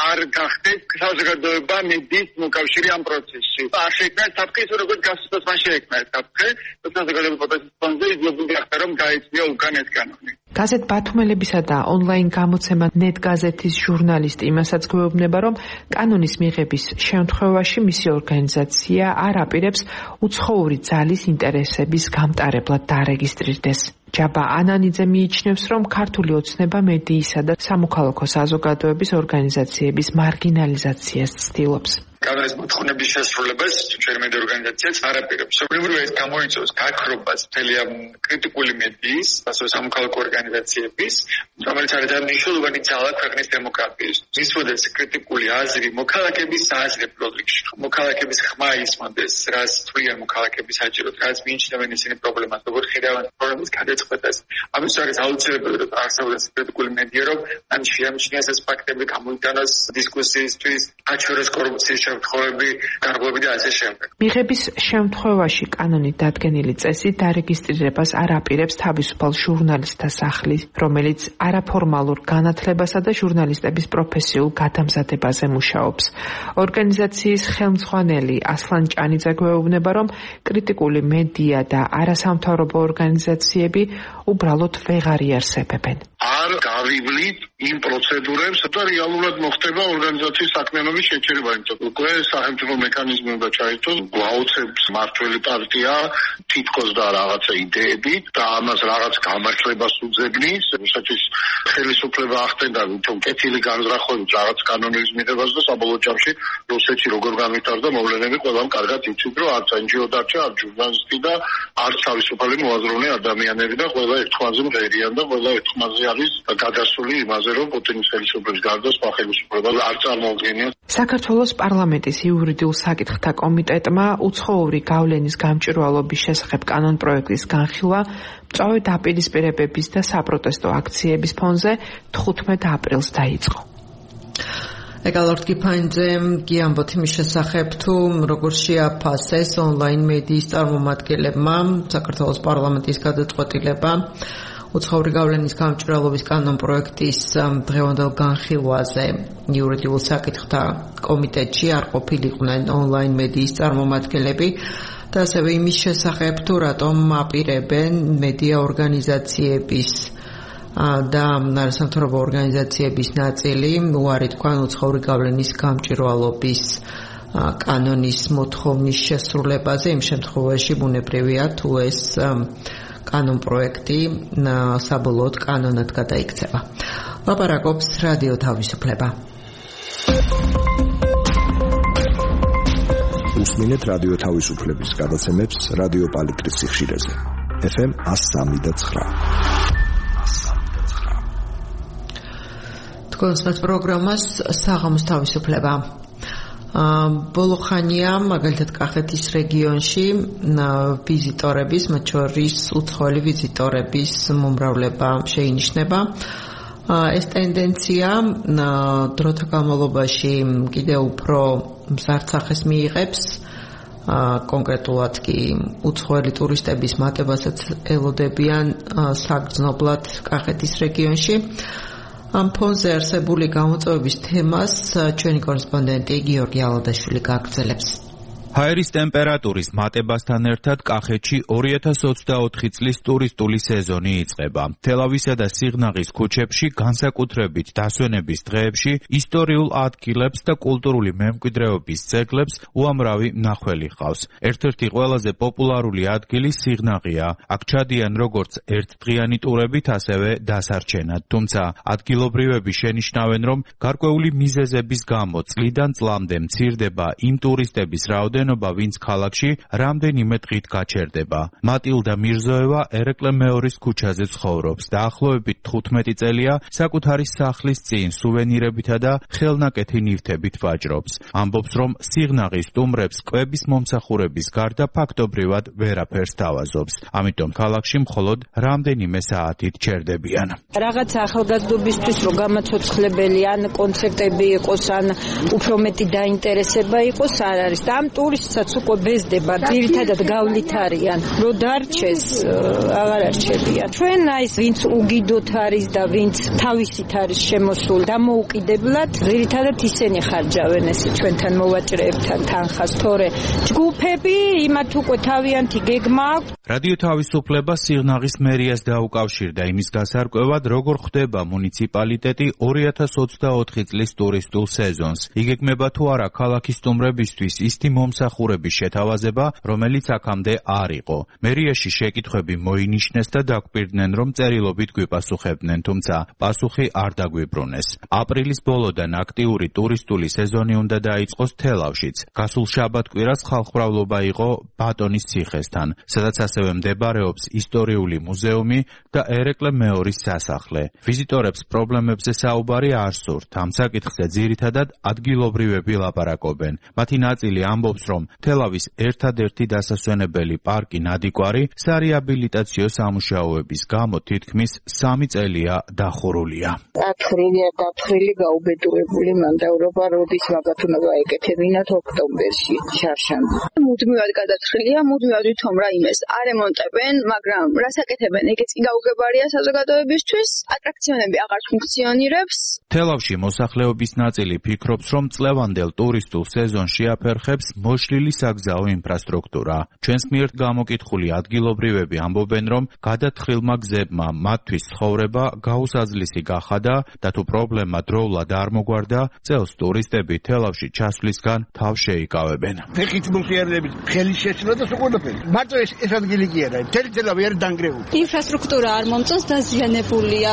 არ გახდეს საზოგადოება მედიის მოკავშირე ამ პროცესში. არ შექმნა საფრთხის როგორც გასწოს მან შექმნა საფრთხე, საზოგადოების პროტესტის ფონზე იძულებული გახდა რომ გაეცნია უკან ეს კანონი. გაზეთ ბათუმელებისა და ონლაინ გამოცემა ნეტგაზეთის ჟურნალისტი იმასაც გვეუბნება, რომ კანონის მიღების შემთხვევაში მისი ორგანიზაცია არ აპირებს უცხოური ძალის ინტერესების გამტარებლად დარეგისტრირდეს. ჯაბა ანანიძე მიიჩნევს, რომ ქართული ოცნება მედიისა და სამოქალაქო საზოგადოების ორგანიზაციების მარგინალიზაციას ცდილობს. კანონის მოთხოვნების შესრულებას ჩვენი მედია ორგანიზაციაც არ აპირებს. სოციალურად ეს გამოიწვევს გაქრობას მთელი ამ კრიტიკული მედიის, ასევე სამოქალაქო ორგანიზაციების, რომელიც არის მნიშვნელოვანი ძალა ქვეყნის დემოკრატიის. ისვადეს კრიტიკული აზრი მოქალაქეების სააზრებო რიგში. მოქალაქეების ხმა ისმოდეს, რაც თვლიან მოქალაქეები საჭიროდ, რაც მიიჩნევენ ისინი პრობლემას, როგორ ხედავენ პრობლემის გადაწყვეტას. ამის არის აუცილებელი, რომ არსებობს კრიტიკული მედია, რომ ან შეამჩნიოს ეს ფაქტები, გამოიტანოს დისკუსიისთვის, აჩვენოს კორუფციის შემთხვევები, გარღვევები და ასე შემდეგ. მიღების შემთხვევაში კანონით დადგენილი წესი დარეგისტრირებას არ აპირებს თავისუფალ ჟურნალისტთა სახლი, რომელიც არაფორმალურ განათლებასა და ჟურნალისტების პროფესიულ გადამზადებაზე მუშაობს. ორგანიზაციის ხელმძღვანელი ასლან ჭანიძე გვეუბნება, რომ კრიტიკული მედია და არასამთავრობო ორგანიზაციები უბრალოდ ვეღარ იარსებებენ. არ გავივლით იმ პროცედურებს და რეალურად მოხდება ორგანიზაციის საქმიანობის შეჩერება, იმიტომ რომ უკვე სახელმწიფო მექანიზმი უნდა ჩაერთოს, გვაუცებს მართველი პარტია თითქოს და რაღაცა იდეებით და ამას რაღაც გამართლებას უძებნის, რასაც ხელისუფლება ახდენდა, თუმცა კეთილი განზრახვებით რაღაც კანონის მიღებას და საბოლოო ჯამში რუსეთში როგორ განვითარდა მოვლენები ყველამ კარგად იცით, რომ არც ენ ჯი ო დარჩა, არც ჟურნალისტი და არც თავისუფალი მოაზროვნე ადამიანები და ყველა ერთხმაზე მღერიან და ყველა ერთხმაზე არის გადასული იმაზე, რომ პუტინის ხელისუფლების გარდა სხვა ხელისუფლება არ წარმოუდგენია. საქართველოს პარლამენტის იურიდიულ საკითხთა კომიტეტმა უცხოური გავლენის გამჭვირვალობის შესახებ კანონპროექტის განხილვა მწვავე დაპირისპირებების და საპროტესტო აქციების ფონზე თხუთმეტ აპრილს დაიწყო. ეკალორდ გიფაინძე გიამბოთ იმის შესახებ, თუ როგორ შეაფასეს ონლაინ მედიის წარმომადგენლებმა საქართველოს პარლამენტის გადაწყვეტილება უცხოური გავლენის გამჭვირვალობის კანონპროექტის დღევანდელ განხილვაზე იურიდიულ საკითხთა კომიტეტში არ ყოფილიყვნენ ონლაინ მედიის წარმომადგენლები და ასევე იმის შესახებ, თუ რატომ აპირებენ მედია ორგანიზაციების და არასამთავრობო ორგანიზაციების ნაწილი უარი თქვან უცხოური გავლენის გამჭვირვალობის კანონის მოთხოვნის შესრულებაზე, იმ შემთხვევაში ბუნებრივია თუ ეს კანონპროექტი საბოლოოდ კანონად გადაიქცევა. ლაპარაკობს რადიო თავისუფლება. უსმინეთ რადიო თავისუფლების გადაცემებს რადიო პალიტრის სიხშირეზე. ეფ ემ one oh three point nine. თქვენს პროგრამას საღამოს თავისუფლება. ბოლო ხანია მაგალითად კახეთის რეგიონში ვიზიტორების, მათ შორის უცხოელი ვიზიტორების მომრავლება შეინიშნება. ეს ტენდენცია დროთა განმავლობაში კიდევ უფრო მზარდსახეს მიიღებს. კონკრეტულად კი უცხოელი ტურისტების მატებასაც ელოდებიან საგრძნობლად კახეთის რეგიონში. ამ ფონზე არსებული გამოწვევების თემას ჩვენი კორესპონდენტი გიორგი ალადაშვილი გაგრძელებს. ჰაერის ტემპერატურის მატებასთან ერთად კახეთში ორი ათას ოცდაოთხი წლის ტურისტული სეზონი იწყება. თელავისა და სიღნაღის ქუჩებში, განსაკუთრებით დასვენების დღეებში, ისტორიულ ადგილებს და კულტურული მემკვიდრეობის ძეგლებს უამრავი მნახველი ჰყავს. ერთ-ერთი ყველაზე პოპულარული ადგილი სიღნაღია. აქ ჩადიან როგორც ერთდღიანი ტურებით, ასევე დასარჩენად. თუმცა ადგილობრივები შენიშნავენ, რომ გარკვეული მიზეზების გამო წლიდან წლამდე მცირდება იმ ტურისტების რაოდენობა, ვინც ქალაქში რამდენიმე დღით გაჩერდება. მატილდა მირზოევა ერეკლე მეორის ქუჩაზე ცხოვრობს. დაახლოებით თხუთმეტი წელია საკუთარი სახლის წინ სუვენირებითა და ხელნაკეთი ნივთებით ვაჭრობს. ამბობს, რომ სიღნაღის სტუმრებს კვების მომსახურების გარდა ფაქტობრივად ვერაფერს თავაზობს. ამიტომ ქალაქში მხოლოდ რამდენიმე საათით ჩერდებიან. რაღაც ახალგაზრდობისთვის რო გამაცოცხლებელი ან კონცერტები იყოს, ან უფრო მეტი დაინტერესება იყოს, არ არის. და ამ ტურისტსაც უკვე ბეზდება, ძირითადად გავლით არიან. რო დარჩეს, აღარ არჩებიან. ჩვენ აი ვინც უგიდოთ არის და ვინც თავისით არის შემოსული, დამოუკიდებლად, ძირითადად ისინი ხარჯავენ ესე ჩვენთან მოვაჭრეებთან თანხას, თორე ჯგუფები იმათ უკვე თავიანთი გეგმა აქვს. რადიო თავისუფლება სიღნაღის მერიას დაუკავშირდა იმის გასარკვევად, როგორ ხდება მუნიციპალიტეტი ორი ათას ოცდაოთხი წლის ტურისტულ სეზონს. იგეგმება თუ არა ქალაქის სტუმრებისთვის ისეთი მომსახურების შეთავაზება, რომელიც აქამდე არ იყო. მერიაში შეკითხვები მოინიშნეს და დაგვირდნენ, რომ წერილობით გვიპასუხებდნენ, თუმცა პასუხი არ დაგვიბრუნეს. აპრილის ბოლოდან აქტიური ტურისტული სეზონი უნდა დაიწყოს თელავშიც. გასულ შაბათ-კვირას ხალხმრავლობა იყო ბატონის ციხესთან, სადაც ასევე მდებარეობს ისტორიული მუზეუმი და ერეკლე მეორის სასახლე. ვიზიტორებს პრობლემებზე საუბარი არ სურთ. ამ საკითხზე ძირითადად ადგილობრივები ლაპარაკობენ. მათი ნაწილი ამბობს, რომ თელავის ერთადერთი დასასვენებელი პარკი ნადიკვარი სარეაბილიტაციო სამუშაოების გამო თითქმის სამი წელია დახურულია. ათხრილია დაფხრილი გაუბედურებული მანდავრობა როდის მაგათ უნდა გაეკეთებინათ ოქტომბერში შარშანში. მუდმივად გადათხრილია, მუდმივად ვითომ რაიმეს არ ემონტებენ, მაგრამ რას აკეთებენ, ეგეც კი გაუგებარია საზოგადოებისთვის, ატრაქციონები აღარ ფუნქციონირებს. თელავში მოსახლეობის ნაწილი ფიქრობს, რომ წლევანდელ ტურისტულ სეზონში აფერხებს მოშლილი საგზაო ინფრასტრუქტურა. ჩვენს მიერ გამოკითხული ადგილობრივები ამბობენ, რომ გადათხილმა გზებმა მათთვის ცხოვრება გაუსაძლისი გახადა და თუ პრობლემა დროულად არ მოგვარდა, წელს ტურისტები თელავში ჩასვლისგან თავს შეიკავებენ. ფეხით მოსიარლებით ხელის შეცვლა და ყველაფერი. მარტო ეს ეს ადგილი კი არა, მთელი თელავი არის დანგრეული. ინფრასტრუქტურა არ მომწონს, დაზიანებულია,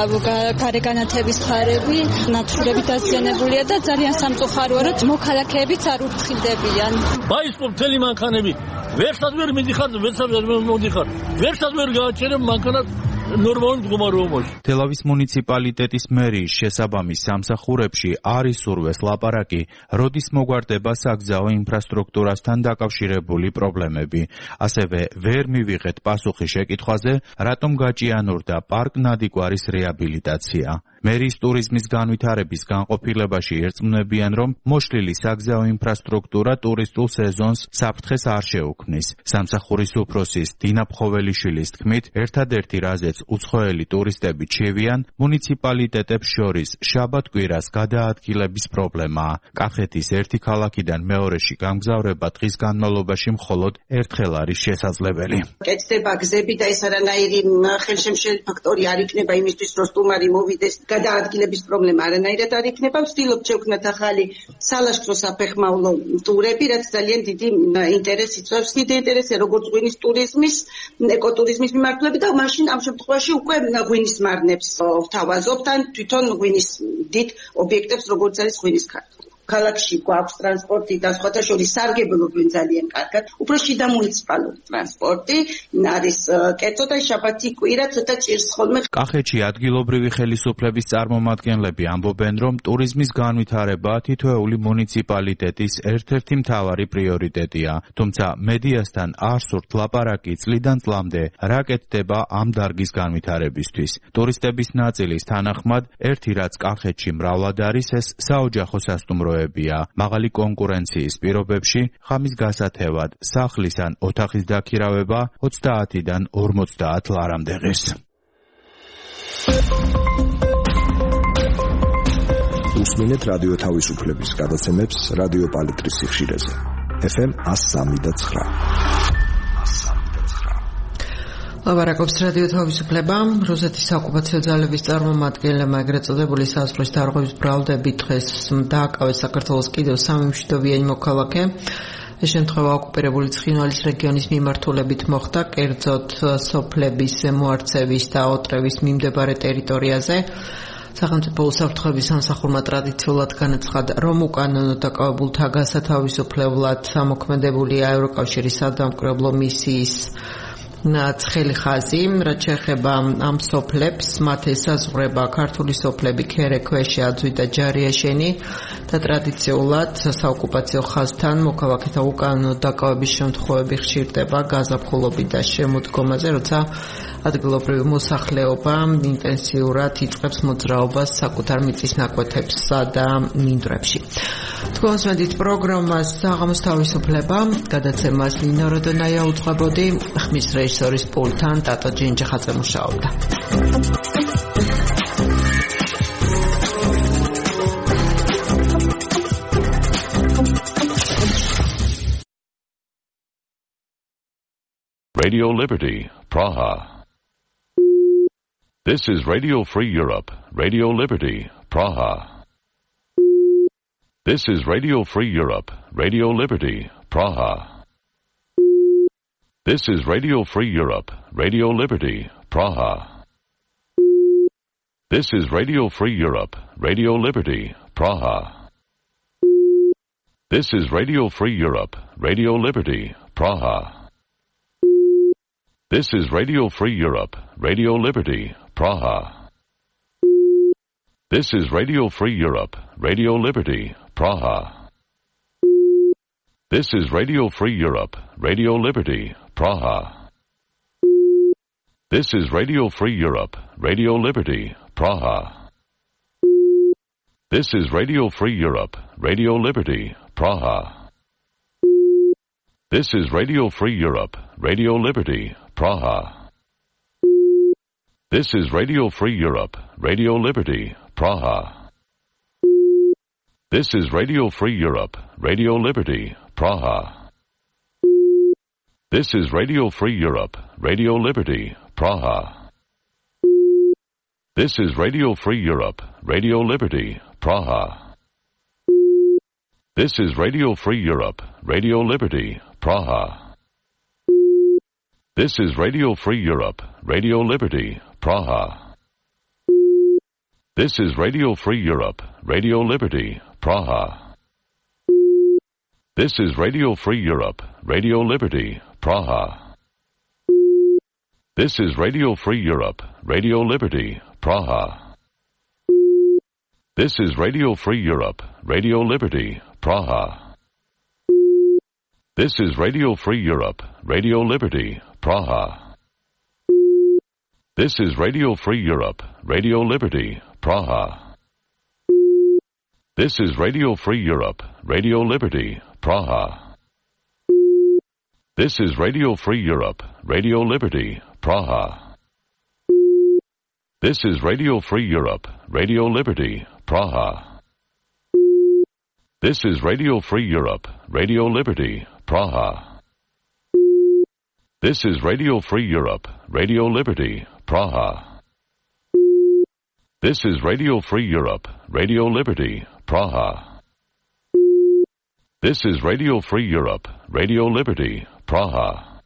გარეგანათების ხარები, ნათურები დაზიანებულია და ძალიან სამწუხაროა, რომ მოქალაქეებიც არ ურთხილდებიან. ბაისკოპ მთელი მანქანები ვერსაც ვერ მიდიხარ, ვერსაც ვერ მომდიხარ. ვერსაც ვერ გააჩერებ მანქანას ნორმალურ მდგომარეობაში. თელავის მუნიციპალიტეტის მერიის შესაბამის სამსახურებში არის სურვეს ლაპარაკი, როდის მოგვარდება საგზაო ინფრასტრუქტურასთან დაკავშირებული პრობლემები. ასევე ვერ მივიღეთ პასუხი შეკითხვაზე, რატომ გაჭიანურდა პარკ ნადიკვარის რეაბილიტაცია. მერიის ტურიზმის განვითარების განყოფილებაში ერწმუნებიან, რომ მოშლილი საგზაო ინფრასტრუქტურა ტურისტულ სეზონს საფრთხეს არ შეუქმნის. სამსახურის უფროსის დინა ფხოველიშვილის თქმით, ერთადერთი რაზეც უცხოელი ტურისტები ჩევიან, მუნიციპალიტეტებს შორის შაბათ-კვირას გადაადგილების პრობლემაა. კახეთის ერთი ქალაქიდან მეორეში გამგზავრება დღის განმავლობაში მხოლოდ ერთხელ არის შესაძლებელი. კეთდება გზები და ეს არანაირი ხელშემშელი ფაქტორი არ იქნება იმისთვის, რომ სტუმარი მოვიდეს. გადაადგილების პრობლემა არანაირად არ იქნება. ვცდილობთ შევქმნათ ახალი სალაშქრო საფეხმავლო ტურები, რაც ძალიან დიდი ინტერესს იწვევს. დიდი ინტერესია როგორც ღვინის ტურიზმის, ეკოტურიზმის მიმართულებით და მაშინ ამ შემთხვევაში უკვე ღვინის მარნებს ვთავაზობთ ან თვითონ ღვინის დიდ ობიექტებს, როგორც არის ღვინის ქარხანა. ქალაქში გვაქვს ტრანსპორტი და სხვათა შორის სარგებლობენ ძალიან კარგად. უფრო შიდა მუნიციპალური ტრანსპორტი არის კერძო და შაბათი კვირა ცოტა ჭირს ხოლმე. კახეთში ადგილობრივი ხელისუფლების წარმომადგენლები ამბობენ, რომ ტურიზმის განვითარება თითოეული მუნიციპალიტეტის ერთ-ერთი მთავარი პრიორიტეტია. თუმცა მედიასთან არ სურთ ლაპარაკი წლიდან წლამდე რა კეთდება ამ დარგის განვითარებისთვის. ტურისტების ნაწილის თანახმად, ერთი რაც კახეთში მრავლად არის, ეს საოჯახო სასტუმროებია. მაღალი კონკურენციის პირობებში ხამის გასათევად სახლის ან ოთახის დაქირავება ოცდაათიდან ორმოცდაათ ლარამდე ღირს. უსმინეთ რადიო თავისუფლების გადაცემებს რადიო პალიტრის სიხშირეზე. ეფ ემ one oh three point nine. ლაბარაკობს რადიო თავისუფლება. რუსეთის საოკუპაციო ძალების წარმომადგენლებმა ეგრეთ წოდებული საზღვრის დარღვევის ბრალდებით დღეს დააკავეს საქართველოს კიდევ სამი მშვიდობიანი მოქალაქე. ეს შემთხვევა ოკუპირებული ცხინვალის რეგიონის მიმართულებით მოხდა, კერძოდ სოფლების მოარწევის და ოტრევის მიმდებარე ტერიტორიაზე. სახელმწიფო უსაფრთხოების სამსახურმა ტრადიციულად განაცხადა, რომ უკანონო დაკავებულთა გასათავისუფლებლად ამოქმედებულია ევროკავშირის სადამკვირვებლო მისიის ცხელი ხაზი, რაც შეეხება ამ სოფლებს, მათ ესაზღვრება ქართული სოფლები ქერექვეშე, აძვი და ჯარიაშენი და ტრადიციულად საოკუპაციო ხაზთან მოქალაქეთა უკანონო დაკავების შემთხვევები ხშირდება გაზაფხულობით და შემოდგომაზე, როცა ადგილობრივი მოსახლეობა ინტენსიურად იწყებს მოძრაობას საკუთარ მიწის ნაკვეთებსა და მინდვრებში. თქვენს მედით პროგრამას საღამოს თავისუფლება, გადაცემას ნინო როდონაია უძღვებოდი, ხმის რეჟისორის პულტთან ტატო ჯინჯახაძე მუშაობდა. Radio Liberty, Praha. This is Radio Free Europe, Radio Liberty, Praha. This is Radio Free Europe, Radio Liberty, Praha. This is Radio Free Europe, Radio Liberty, Praha. This is Radio Free Europe, Radio Liberty, Praha. This is Radio Free Europe, Radio Liberty, Praha. This is Radio Free Europe, Radio Liberty, Praha. This is Radio Free Europe, Radio Liberty, Praha. This is Radio Free Europe, Radio Liberty, Praha. This is Radio Free Europe, Radio Liberty, Praha. This is Radio Free Europe, Radio Liberty, Praha. This is Radio Free Europe, Radio Liberty, Praha. This is Radio Free Europe, Radio Liberty, Praha. This is Radio Free Europe, Radio Liberty, Praha. This is Radio Free Europe, Radio Liberty, Praha. This is Radio Free Europe, Radio Liberty, Praha. This is Radio Free Europe, Radio Liberty, Praha. This is Radio Free Europe, Radio Liberty, Praha. This is Radio Free Europe, Radio Liberty, Praha. This is Radio Free Europe, Radio Liberty, Praha. This is Radio Free Europe, Radio Liberty, Praha. This is Radio Free Europe, Radio Liberty, Praha. This is Radio Free Europe, Radio Liberty, Praha. This is Radio Free Europe, Radio Liberty, Praha. This is Radio Free Europe, Radio Liberty, Praha. This is Radio Free Europe, Radio Liberty, Praha. This is Radio Free Europe, Radio Liberty, Praha. This is Radio Free Europe, Radio Liberty, Praha. This is Radio Free Europe, Radio Liberty, Praha. This is Radio Free Europe, Radio Liberty, Praha. This is Radio Free Europe, Radio Liberty, Praha.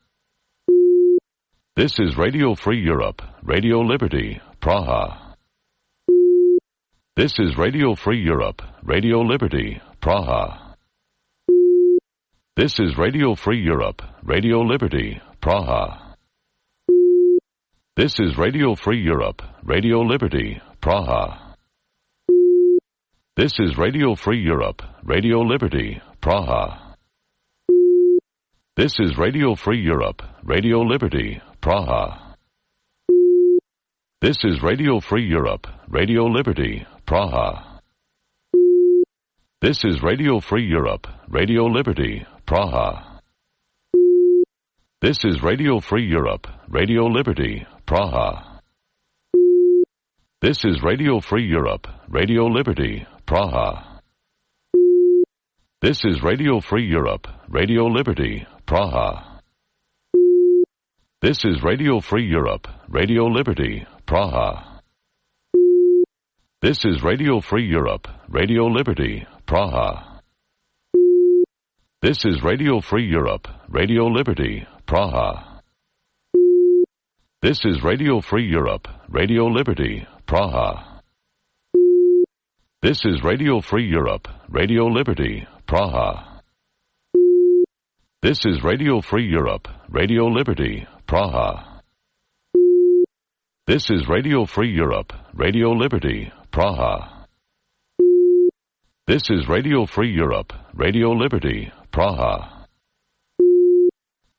This is Radio Free Europe, Radio Liberty, Praha. This is Radio Free Europe, Radio Liberty, Praha. This is Radio Free Europe, Radio Liberty, Praha. This is Radio Free Europe, Radio Liberty, Praha. This is Radio Free Europe, Radio Liberty, Praha. This is Radio Free Europe, Radio Liberty, Praha. This is Radio Free Europe, Radio Liberty, Praha. This is Radio Free Europe, Radio Liberty, Praha. This is Radio Free Europe, Radio Liberty, Praha. This is Radio Free Europe, Radio Liberty, Praha. This is Radio Free Europe, Radio Liberty, Praha. This is Radio Free Europe, Radio Liberty, Praha. This is Radio Free Europe, Radio Liberty, Praha. This is Radio Free Europe, Radio Liberty, Praha. This is Radio Free Europe, Radio Liberty, Praha. This is Radio Free Europe, Radio Liberty, Praha. This is Radio Free Europe, Radio Liberty, Praha. This is Radio Free Europe, Radio Liberty, Praha. This is Radio Free Europe, Radio Liberty, Praha.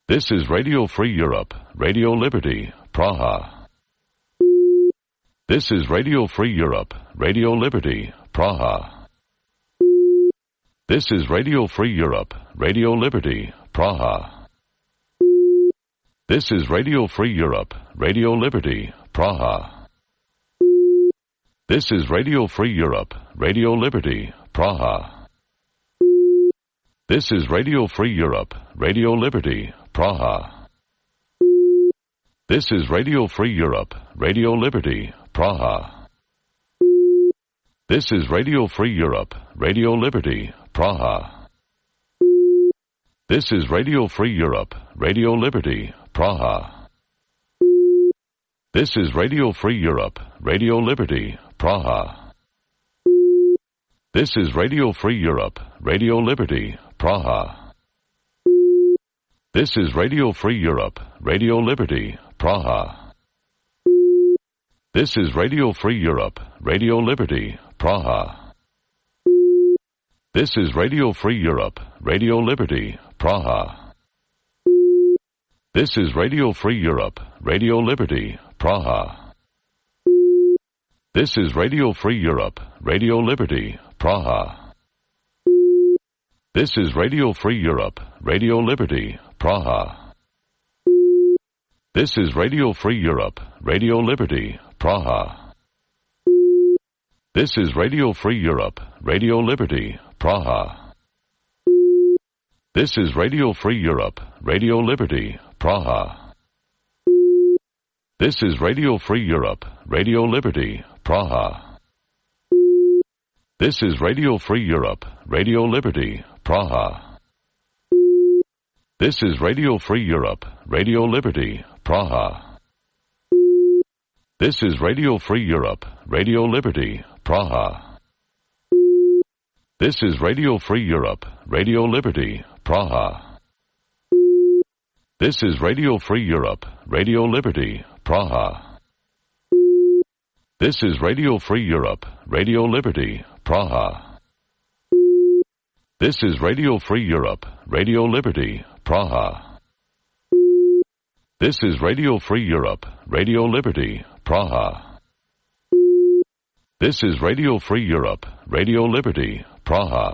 This is Radio Free Europe, Radio Liberty, Praha. This is Radio Free Europe, Radio Liberty, Praha. This is Radio Free Europe, Radio Liberty, Praha. This is Radio Free Europe, Radio Liberty, Praha. This is Radio Free Europe, Radio Liberty, Praha. This is Radio Free Europe, Radio Liberty, Praha. This is Radio Free Europe, Radio Liberty, Praha. This is Radio Free Europe, Radio Liberty, Praha. This is Radio Free Europe, Radio Liberty, Praha. This is Radio Free Europe, Radio Liberty, Praha. This is Radio Free Europe, Radio Liberty, Praha. This is Radio Free Europe, Radio Liberty, Praha. This is Radio Free Europe, Radio Liberty, Praha. This is Radio Free Europe, Radio Liberty, Praha. This is Radio Free Europe, Radio Liberty, Praha. This is Radio Free Europe, Radio Liberty, Praha. This is Radio Free Europe, Radio Liberty, Praha. This is Radio Free Europe, Radio Liberty, Praha. This is Radio Free Europe, Radio Liberty, Praha. This is Radio Free Europe, Radio Liberty, Praha. This is Radio Free Europe, Radio Liberty, Praha. This is Radio Free Europe, Radio Liberty, Praha. This is Radio Free Europe, Radio Liberty, Praha. This is Radio Free Europe, Radio Liberty, Praha. This is Radio Free Europe, Radio Liberty, Praha. This is Radio Free Europe, Radio Liberty, Praha. This is Radio Free Europe, Radio Liberty, Praha. This is Radio Free Europe, Radio Liberty, Praha. This is Radio Free Europe, Radio Liberty, Praha. This is Radio Free Europe, Radio Liberty, Praha.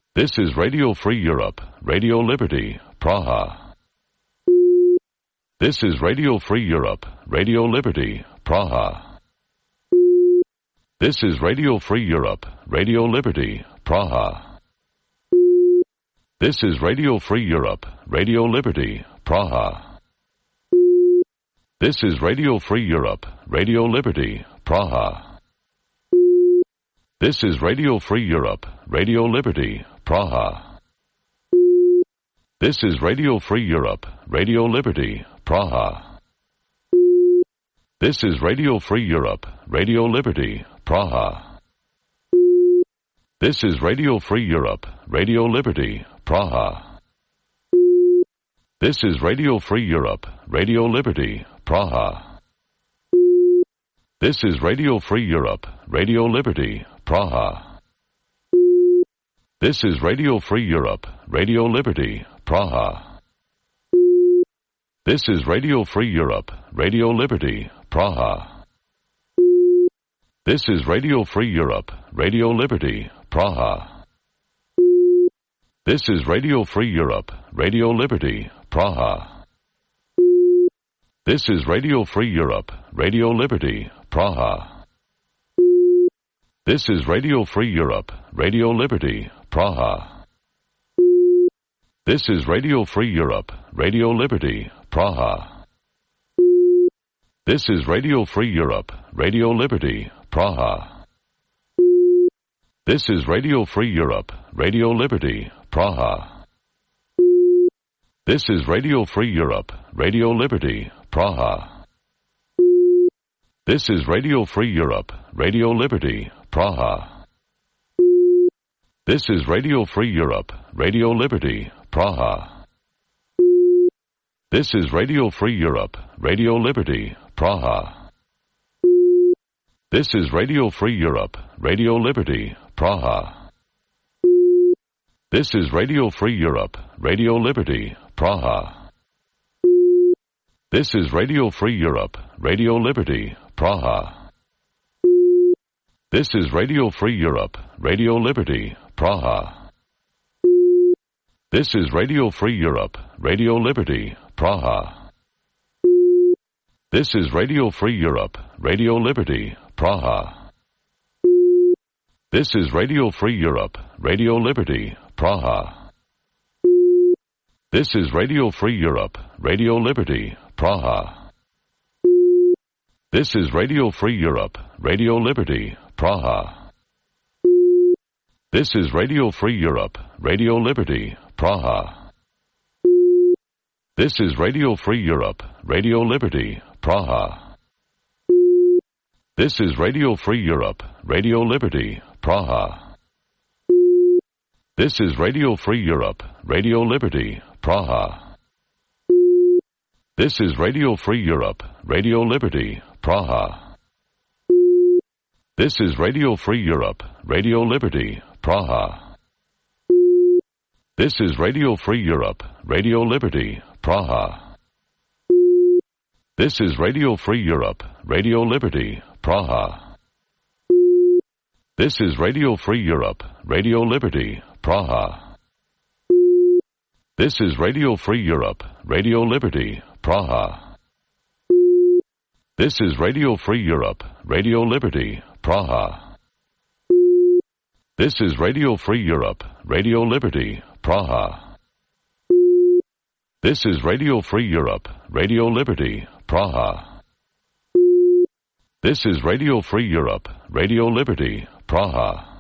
This is Radio Free Europe, Radio Liberty, Praha. This is Radio Free Europe, Radio Liberty, Praha. This is Radio Free Europe, Radio Liberty, Praha. This is Radio Free Europe, Radio Liberty, Praha. This is Radio Free Europe, Radio Liberty, Praha. This is Radio Free Europe, Radio Liberty, Praha. This is Radio Free Europe, Radio Liberty, Praha. This is Radio Free Europe, Radio Liberty, Praha. This is Radio Free Europe, Radio Liberty, Praha. This is Radio Free Europe, Radio Liberty, Praha. This is Radio Free Europe, Radio Liberty, Praha. This is Radio Free Europe, Radio Liberty, Praha. This is Radio Free Europe, Radio Liberty, Praha. This is Radio Free Europe, Radio Liberty, Praha. This is Radio Free Europe, Radio Liberty, Praha. This is Radio Free Europe, Radio Liberty, Praha. This is Radio Free Europe, Radio Liberty, Praha. This is Radio Free Europe, Radio Liberty, Praha. This is Radio Free Europe, Radio Liberty, Praha. This is Radio Free Europe, Radio Liberty, Praha. This is Radio Free Europe, Radio Liberty, Praha. This is Radio Free Europe, Radio Liberty, Praha. This is Radio Free Europe, Radio Liberty, Praha. This is Radio Free Europe, Radio Liberty, Praha. This is Radio Free Europe, Radio Liberty, Praha. This is Radio Free Europe, Radio Liberty, Praha. This is Radio Free Europe, Radio Liberty, Praha. This is Radio Free Europe, Radio Liberty, Praha. This is Radio Free Europe, Radio Liberty, Praha. This is Radio Free Europe, Radio Liberty, Praha. This is Radio Free Europe, Radio Liberty, Praha. This is Radio Free Europe, Radio Liberty, Praha. This is Radio Free Europe, Radio Liberty, Praha. This is Radio Free Europe, Radio Liberty, Praha. This is Radio Free Europe, Radio Liberty, Praha. This is Radio Free Europe, Radio Liberty, Praha. This is Radio Free Europe, Radio Liberty, Praha. This is Radio Free Europe, Radio Liberty, Praha. This is Radio Free Europe, Radio Liberty, Praha. This is Radio Free Europe, Radio Liberty, Praha. This is Radio Free Europe, Radio Liberty, Praha. This is Radio Free Europe, Radio Liberty, Praha. This is Radio Free Europe, Radio Liberty, Praha. This is Radio Free Europe, Radio Liberty, Praha. This is Radio Free Europe, Radio Liberty, Praha. This is Radio Free Europe, Radio Liberty, Praha. This is Radio Free Europe, Radio Liberty, Praha.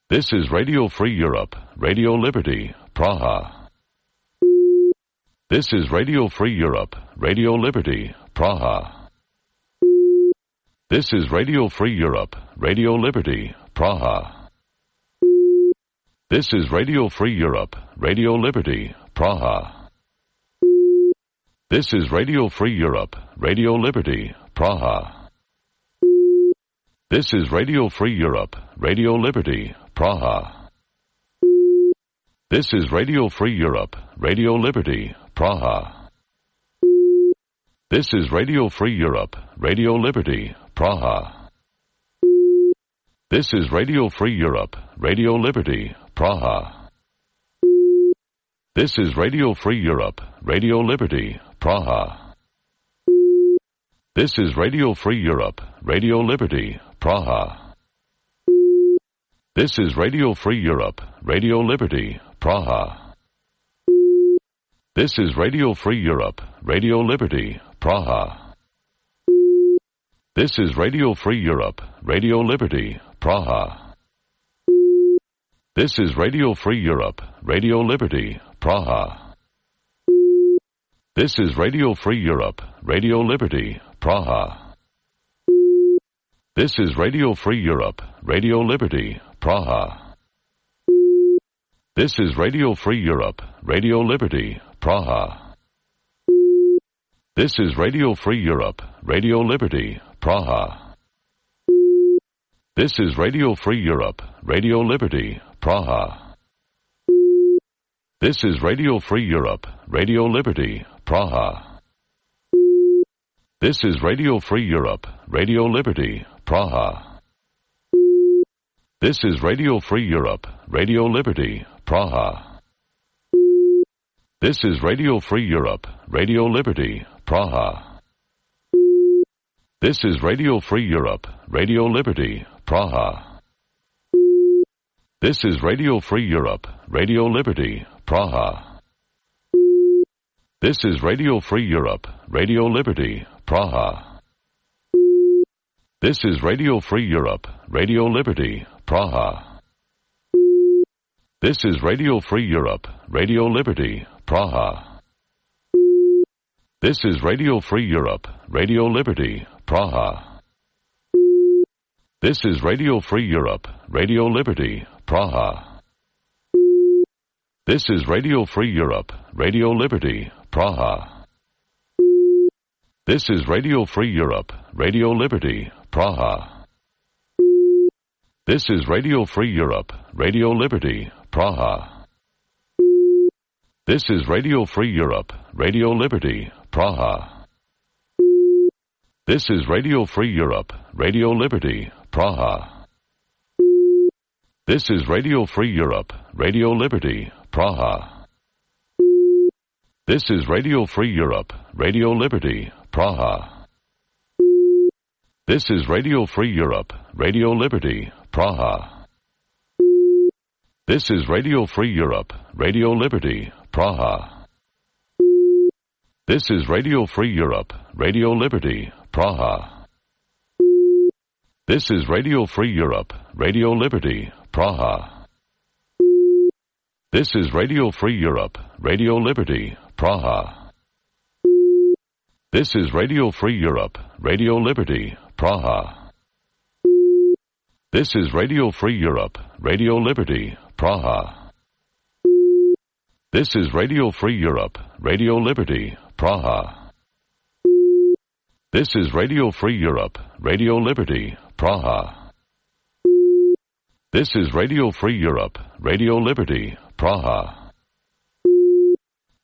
This is Radio Free Europe, Radio Liberty, Praha. This is Radio Free Europe, Radio Liberty, Praha. This is Radio Free Europe, Radio Liberty, Praha. This is Radio Free Europe, Radio Liberty, Praha. This is Radio Free Europe, Radio Liberty, Praha. This is Radio Free Europe, Radio Liberty, Praha. This is Radio Free Europe, Radio Liberty, Praha. This is Radio Free Europe, Radio Liberty, Praha. This is Radio Free Europe, Radio Liberty, Praha. This is Radio Free Europe, Radio Liberty, Praha. This is Radio Free Europe, Radio Liberty, Praha. This is Radio Free Europe, Radio Liberty, Praha. This is Radio Free Europe, Radio Liberty, Praha. This is Radio Free Europe, Radio Liberty, Praha. This is Radio Free Europe, Radio Liberty, Praha. This is Radio Free Europe, Radio Liberty, Praha. This is Radio Free Europe, Radio Liberty, Praha. This is Radio Free Europe, Radio Liberty, Praha. This is Radio Free Europe, Radio Liberty, Praha. This is Radio Free Europe, Radio Liberty, Praha. This is Radio Free Europe, Radio Liberty, Praha. This is Radio Free Europe, Radio Liberty, Praha. This is Radio Free Europe, Radio Liberty, Praha. This is Radio Free Europe, Radio Liberty, Praha. This is Radio Free Europe, Radio Liberty, Praha. This is Radio Free Europe, Radio Liberty, Praha. This is Radio Free Europe, Radio Liberty, Praha. This is Radio Free Europe, Radio Liberty, Praha. This is Radio Free Europe, Radio Liberty, Praha. This is Radio Free Europe, Radio Liberty, Praha. This is Radio Free Europe, Radio Liberty, Praha. This is Radio Free Europe, Radio Liberty, Praha. This is Radio Free Europe, Radio Liberty, Praha. This is Radio Free Europe, Radio Liberty, Praha. This is Radio Free Europe, Radio Liberty, Praha. This is Radio Free Europe, Radio Liberty, Praha. This is Radio Free Europe, Radio Liberty, Praha. This is Radio Free Europe, Radio Liberty, Praha. This is Radio Free Europe, Radio Liberty, Praha. This is Radio Free Europe, Radio Liberty, Praha. This is Radio Free Europe, Radio Liberty, Praha. This is Radio Free Europe, Radio Liberty, Praha. This is Radio Free Europe, Radio Liberty, Praha. This is Radio Free Europe, Radio Liberty, Praha. This is Radio Free Europe, Radio Liberty, Praha. This is Radio Free Europe, Radio Liberty, Praha. This is Radio Free Europe, Radio Liberty, Praha. This is Radio Free Europe, Radio Liberty, Praha.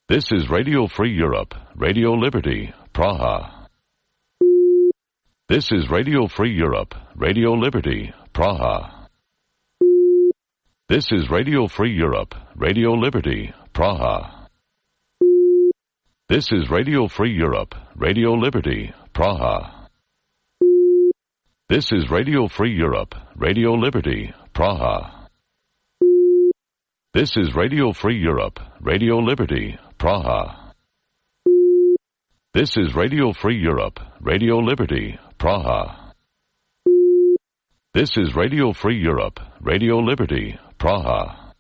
This is Radio Free Europe, Radio Liberty, Praha. This is Radio Free Europe, Radio Liberty, Praha. This is Radio Free Europe, Radio Liberty, Praha. This is Radio Free Europe, Radio Liberty, Praha. This is Radio Free Europe, Radio Liberty, Praha. This is Radio Free Europe, Radio Liberty, Praha. This is Radio Free Europe, Radio Liberty, Praha. This is Radio Free Europe, Radio Liberty, Praha.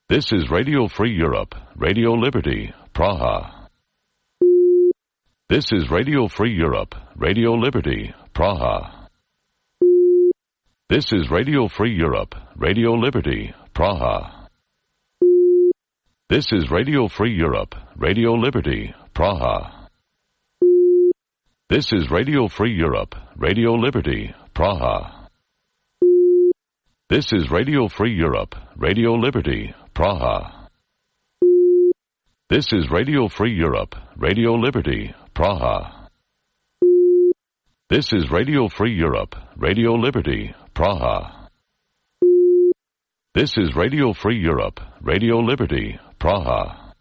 This is Radio Free Europe, Radio Liberty, Praha. This is Radio Free Europe, Radio Liberty, Praha. This is Radio Free Europe, Radio Liberty, Praha. This is Radio Free Europe, Radio Liberty, Praha. This is Radio Free Europe, Radio Liberty, Praha. This is Radio Free Europe, Radio Liberty, Praha. This is Radio Free Europe, Radio Liberty, Praha. This is Radio Free Europe, Radio Liberty, Praha. This is Radio Free Europe, Radio Liberty, Praha.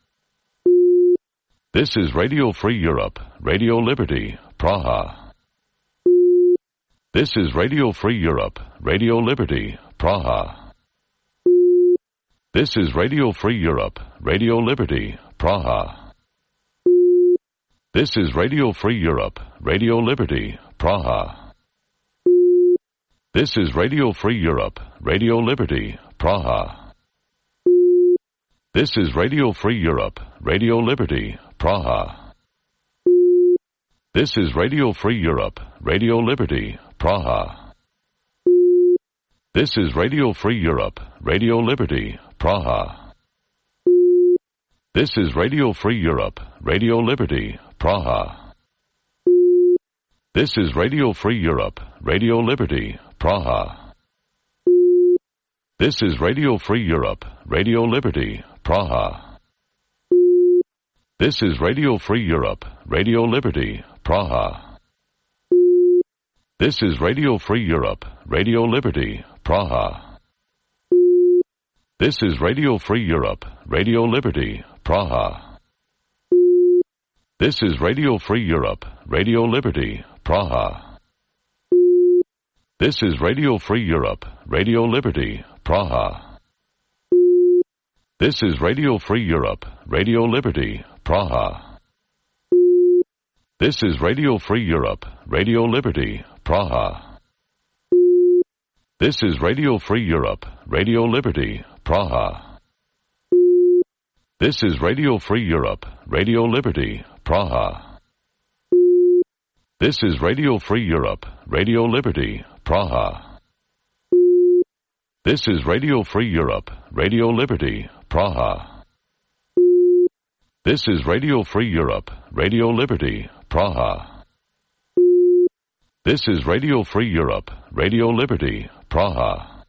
This is Radio Free Europe, Radio Liberty, Praha. This is Radio Free Europe, Radio Liberty, Praha. This is Radio Free Europe, Radio Liberty, Praha. This is Radio Free Europe, Radio Liberty, Praha. This is Radio Free Europe, Radio Liberty, Praha. This is Radio Free Europe, Radio Liberty, Praha. This is Radio Free Europe, Radio Liberty, Praha. This is Radio Free Europe, Radio Liberty, Praha. This is Radio Free Europe, Radio Liberty, Praha. This is Radio Free Europe, Radio Liberty, Praha. This is Radio Free Europe, Radio Liberty, Praha. This is Radio Free Europe, Radio Liberty, Praha. This is Radio Free Europe, Radio Liberty, Praha. This is Radio Free Europe, Radio Liberty, Praha. This is Radio Free Europe, Radio Liberty, Praha. This is Radio Free Europe, Radio Liberty, Praha. This is Radio Free Europe, Radio Liberty, Praha. This is Radio Free Europe, Radio Liberty, Praha. This is Radio Free Europe, Radio Liberty, Praha. This is Radio Free Europe, Radio Liberty, Praha. This is Radio Free Europe, Radio Liberty, Praha. This is Radio Free Europe, Radio Liberty, Praha. This is Radio Free Europe, Radio Liberty, Praha. This is Radio Free Europe, Radio Liberty, Praha.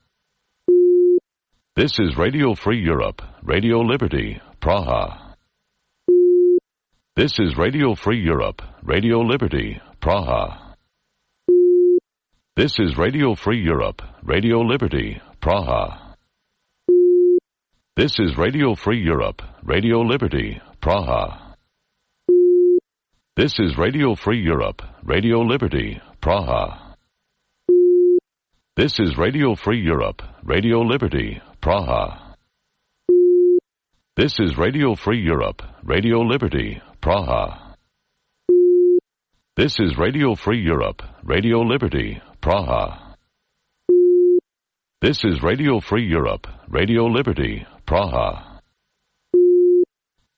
This is Radio Free Europe, Radio Liberty, Praha. This is Radio Free Europe, Radio Liberty, Praha. This is Radio Free Europe, Radio Liberty, Praha. This is Radio Free Europe, Radio Liberty, Praha. This is Radio Free Europe, Radio Liberty, Praha. This is Radio Free Europe, Radio Liberty, Praha. This is Radio Free Europe, Radio Liberty, Praha. This is Radio Free Europe, Radio Liberty, Praha. This is Radio Free Europe, Radio Liberty, Praha.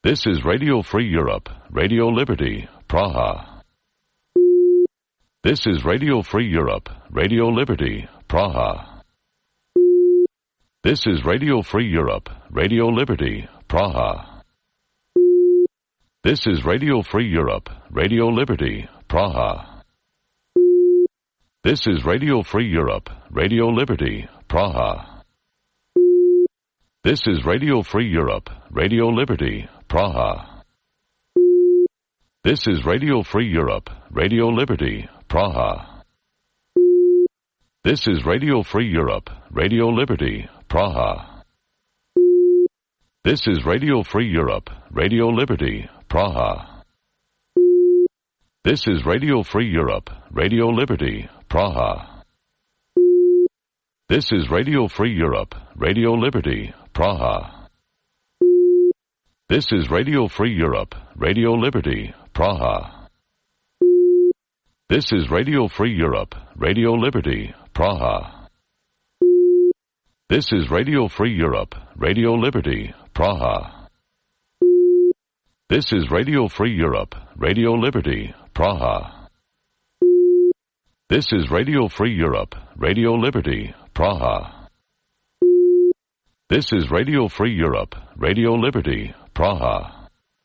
This is Radio Free Europe, Radio Liberty, Praha. This is Radio Free Europe, Radio Liberty, Praha. This is Radio Free Europe, Radio Liberty, Praha. This is Radio Free Europe, Radio Liberty, Praha. This is Radio Free Europe, Radio Liberty, Praha. This is Radio Free Europe, Radio Liberty, Praha. This is Radio Free Europe, Radio Liberty, Praha. This is Radio Free Europe, Radio Liberty, Praha. This is Radio Free Europe, Radio Liberty, Praha. This is Radio Free Europe, Radio Liberty, Praha. This is Radio Free Europe, Radio Liberty, Praha. This is Radio Free Europe, Radio Liberty, Praha. This is Radio Free Europe, Radio Liberty, Praha. This is Radio Free Europe, Radio Liberty, Praha. This is Radio Free Europe, Radio Liberty, Praha. This is Radio Free Europe, Radio Liberty, Praha. This is Radio Free Europe, Radio Liberty, Praha.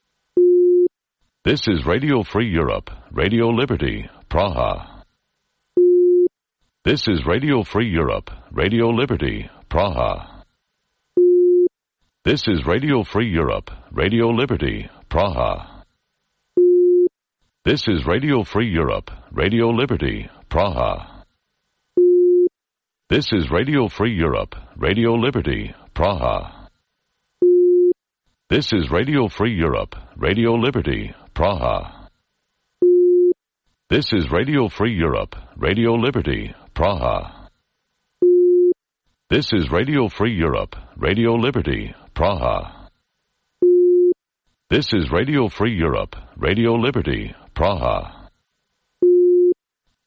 This is Radio Free Europe, Radio Liberty, Praha. This is Radio Free Europe, Radio Liberty, Praha. This is Radio Free Europe, Radio Liberty, Praha. This is Radio Free Europe, Radio Liberty, Praha. This is Radio Free Europe, Radio Liberty, Praha. This is Radio Free Europe, Radio Liberty, Praha. This is Radio Free Europe, Radio Liberty, Praha. This is Radio Free Europe, Radio Liberty, Praha. This is Radio Free Europe, Radio Liberty, Praha.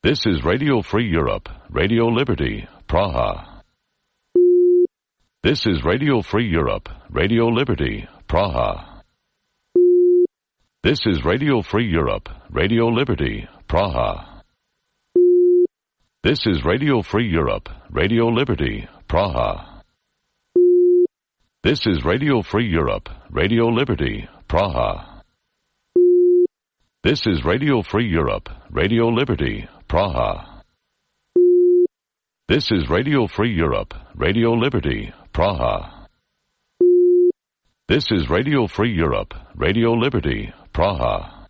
This is Radio Free Europe, Radio Liberty, Praha. This is Radio Free Europe, Radio Liberty, Praha. This is Radio Free Europe, Radio Liberty, Praha. This is Radio Free Europe, Radio Liberty, Praha. This is Radio Free Europe, Radio Liberty, Praha. This is Radio Free Europe, Radio Liberty, Praha. This is Radio Free Europe, Radio Liberty, Praha. This is Radio Free Europe, Radio Liberty, Praha.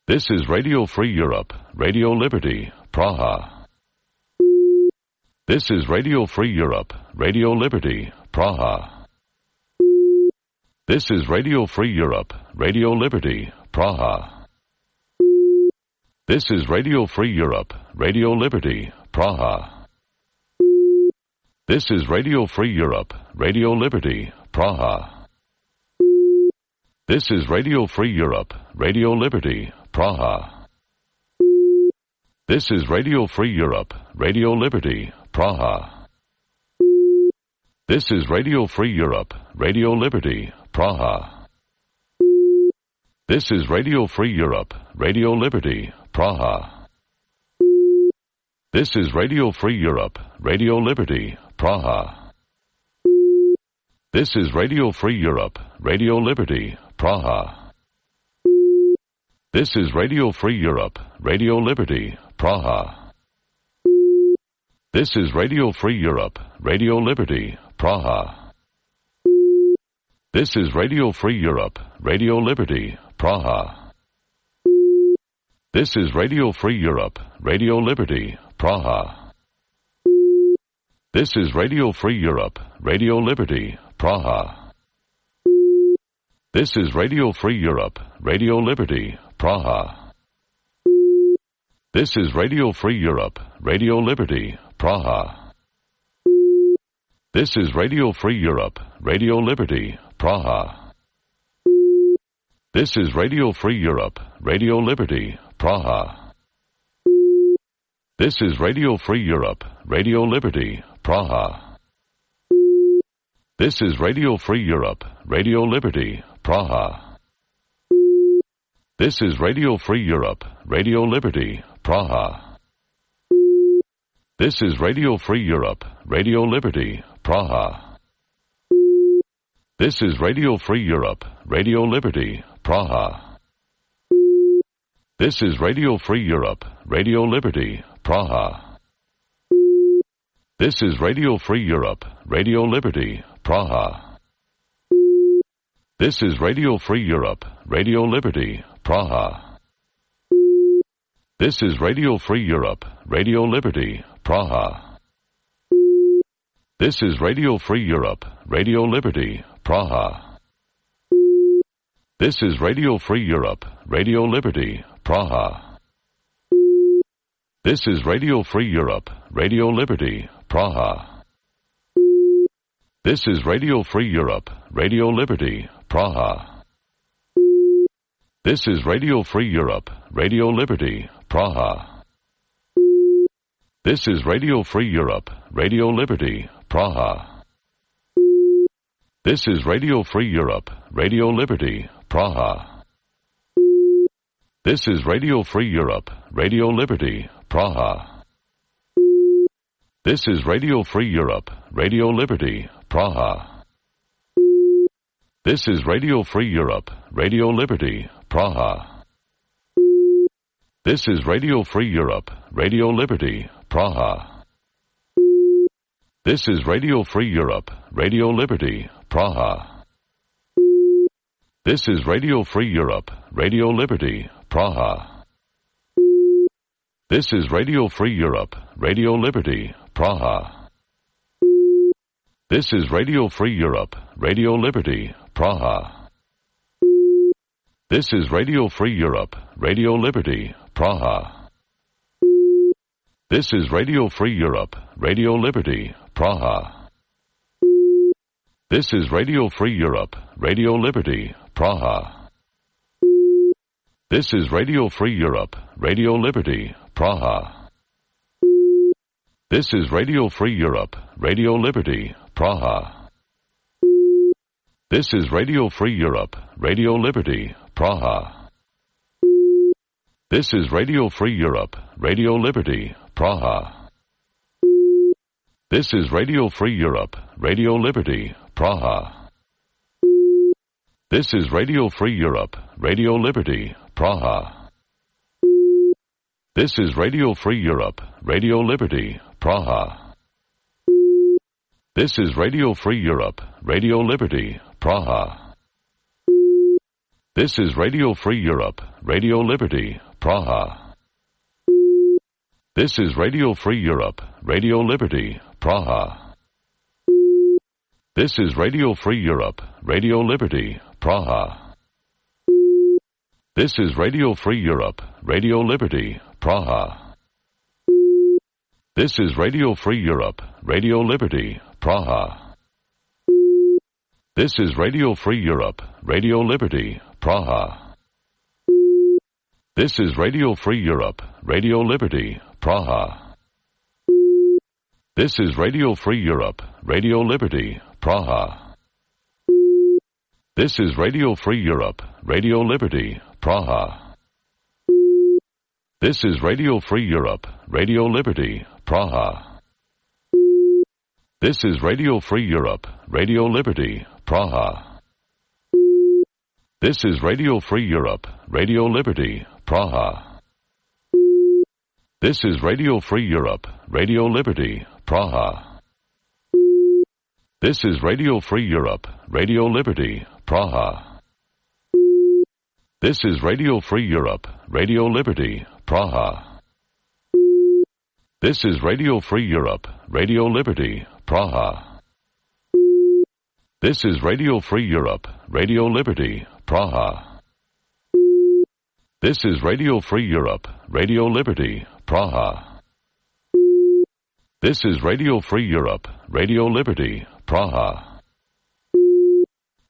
This is Radio Free Europe, Radio Liberty, Praha. This is Radio Free Europe, Radio Liberty, Praha. This is Radio Free Europe, Radio Liberty, Praha. This is Radio Free Europe, Radio Liberty, Praha. This is Radio Free Europe, Radio Liberty, Praha. This is Radio Free Europe, Radio Liberty, Praha. This is Radio Free Europe, Radio Liberty, Praha. This is Radio Free Europe, Radio Liberty, Praha. This is Radio Free Europe, Radio Liberty, Praha. This is Radio Free Europe, Radio Liberty, Praha. This is Radio Free Europe, Radio Liberty, Praha. This is Radio Free Europe, Radio Liberty, Praha. This is Radio Free Europe, Radio Liberty, Praha. This is Radio Free Europe, Radio Liberty, Praha. This is Radio Free Europe, Radio Liberty, Praha. This is Radio Free Europe, Radio Liberty, Praha. This is Radio Free Europe, Radio Liberty, Praha. This is Radio Free Europe, Radio Liberty, Praha. This is Radio Free Europe, Radio Liberty, Praha. This is Radio Free Europe, Radio Liberty, Praha. This is Radio Free Europe, Radio Liberty, Praha. This is Radio Free Europe, Radio Liberty, Praha. This is Radio Free Europe, Radio Liberty, Praha. This is Radio Free Europe, Radio Liberty, Praha. This is Radio Free Europe, Radio Liberty, Praha. This is Radio Free Europe, Radio Liberty, Praha. This is Radio Free Europe, Radio Liberty, Praha. This is Radio Free Europe, Radio Liberty, Praha. This is Radio Free Europe, Radio Liberty, Praha. This is Radio Free Europe, Radio Liberty, Praha. This is Radio Free Europe, Radio Liberty, Praha. This is Radio Free Europe, Radio Liberty, Praha. This is Radio Free Europe, Radio Liberty, Praha. This is Radio Free Europe, Radio Liberty, Praha. This is Radio Free Europe, Radio Liberty, Praha. This is Radio Free Europe, Radio Liberty, Praha. This is Radio Free Europe, Radio Liberty, Praha. This is Radio Free Europe, Radio Liberty, Praha. This is Radio Free Europe, Radio Liberty, Praha. This is Radio Free Europe, Radio Liberty, Praha. This is Radio Free Europe, Radio Liberty, Praha. This is Radio Free Europe, Radio Liberty, Praha. This is Radio Free Europe, Radio Liberty, Praha. This is Radio Free Europe, Radio Liberty, Praha. This is Radio Free Europe, Radio Liberty, Praha. This is Radio Free Europe, Radio Liberty, Praha. This is Radio Free Europe, Radio Liberty, Praha. This is Radio Free Europe, Radio Liberty, Praha. This is Radio Free Europe, Radio Liberty, Praha. This is Radio Free Europe, Radio Liberty, Praha. This is Radio Free Europe, Radio Liberty, Praha. This is Radio Free Europe, Radio Liberty, Praha. This is Radio Free Europe, Radio Liberty, Praha. This is Radio Free Europe, Radio Liberty, Praha. This is Radio Free Europe, Radio Liberty, Praha. This is Radio Free Europe, Radio Liberty, Praha. This is Radio Free Europe, Radio Liberty, Praha. This is Radio Free Europe, Radio Liberty, Praha. This is Radio Free Europe, Radio Liberty, Praha. This is Radio Free Europe, Radio Liberty, Praha. This is Radio Free Europe, Radio Liberty, Praha. This is Radio Free Europe, Radio Liberty, Praha. This is Radio Free Europe, Radio Liberty, Praha. This is Radio Free Europe, Radio Liberty, Praha. This is Radio Free Europe, Radio Liberty, Praha. This is Radio Free Europe, Radio Liberty, Praha. This is Radio Free Europe, Radio Liberty, Praha. This is Radio Free Europe, Radio Liberty, Praha. This is Radio Free Europe, Radio Liberty, Praha. This is Radio Free Europe, Radio Liberty, Praha. This is Radio Free Europe, Radio Liberty, Praha. This is Radio Free Europe, Radio Liberty, Praha. This is Radio Free Europe, Radio Liberty, Praha. This is Radio Free Europe, Radio Liberty, Praha.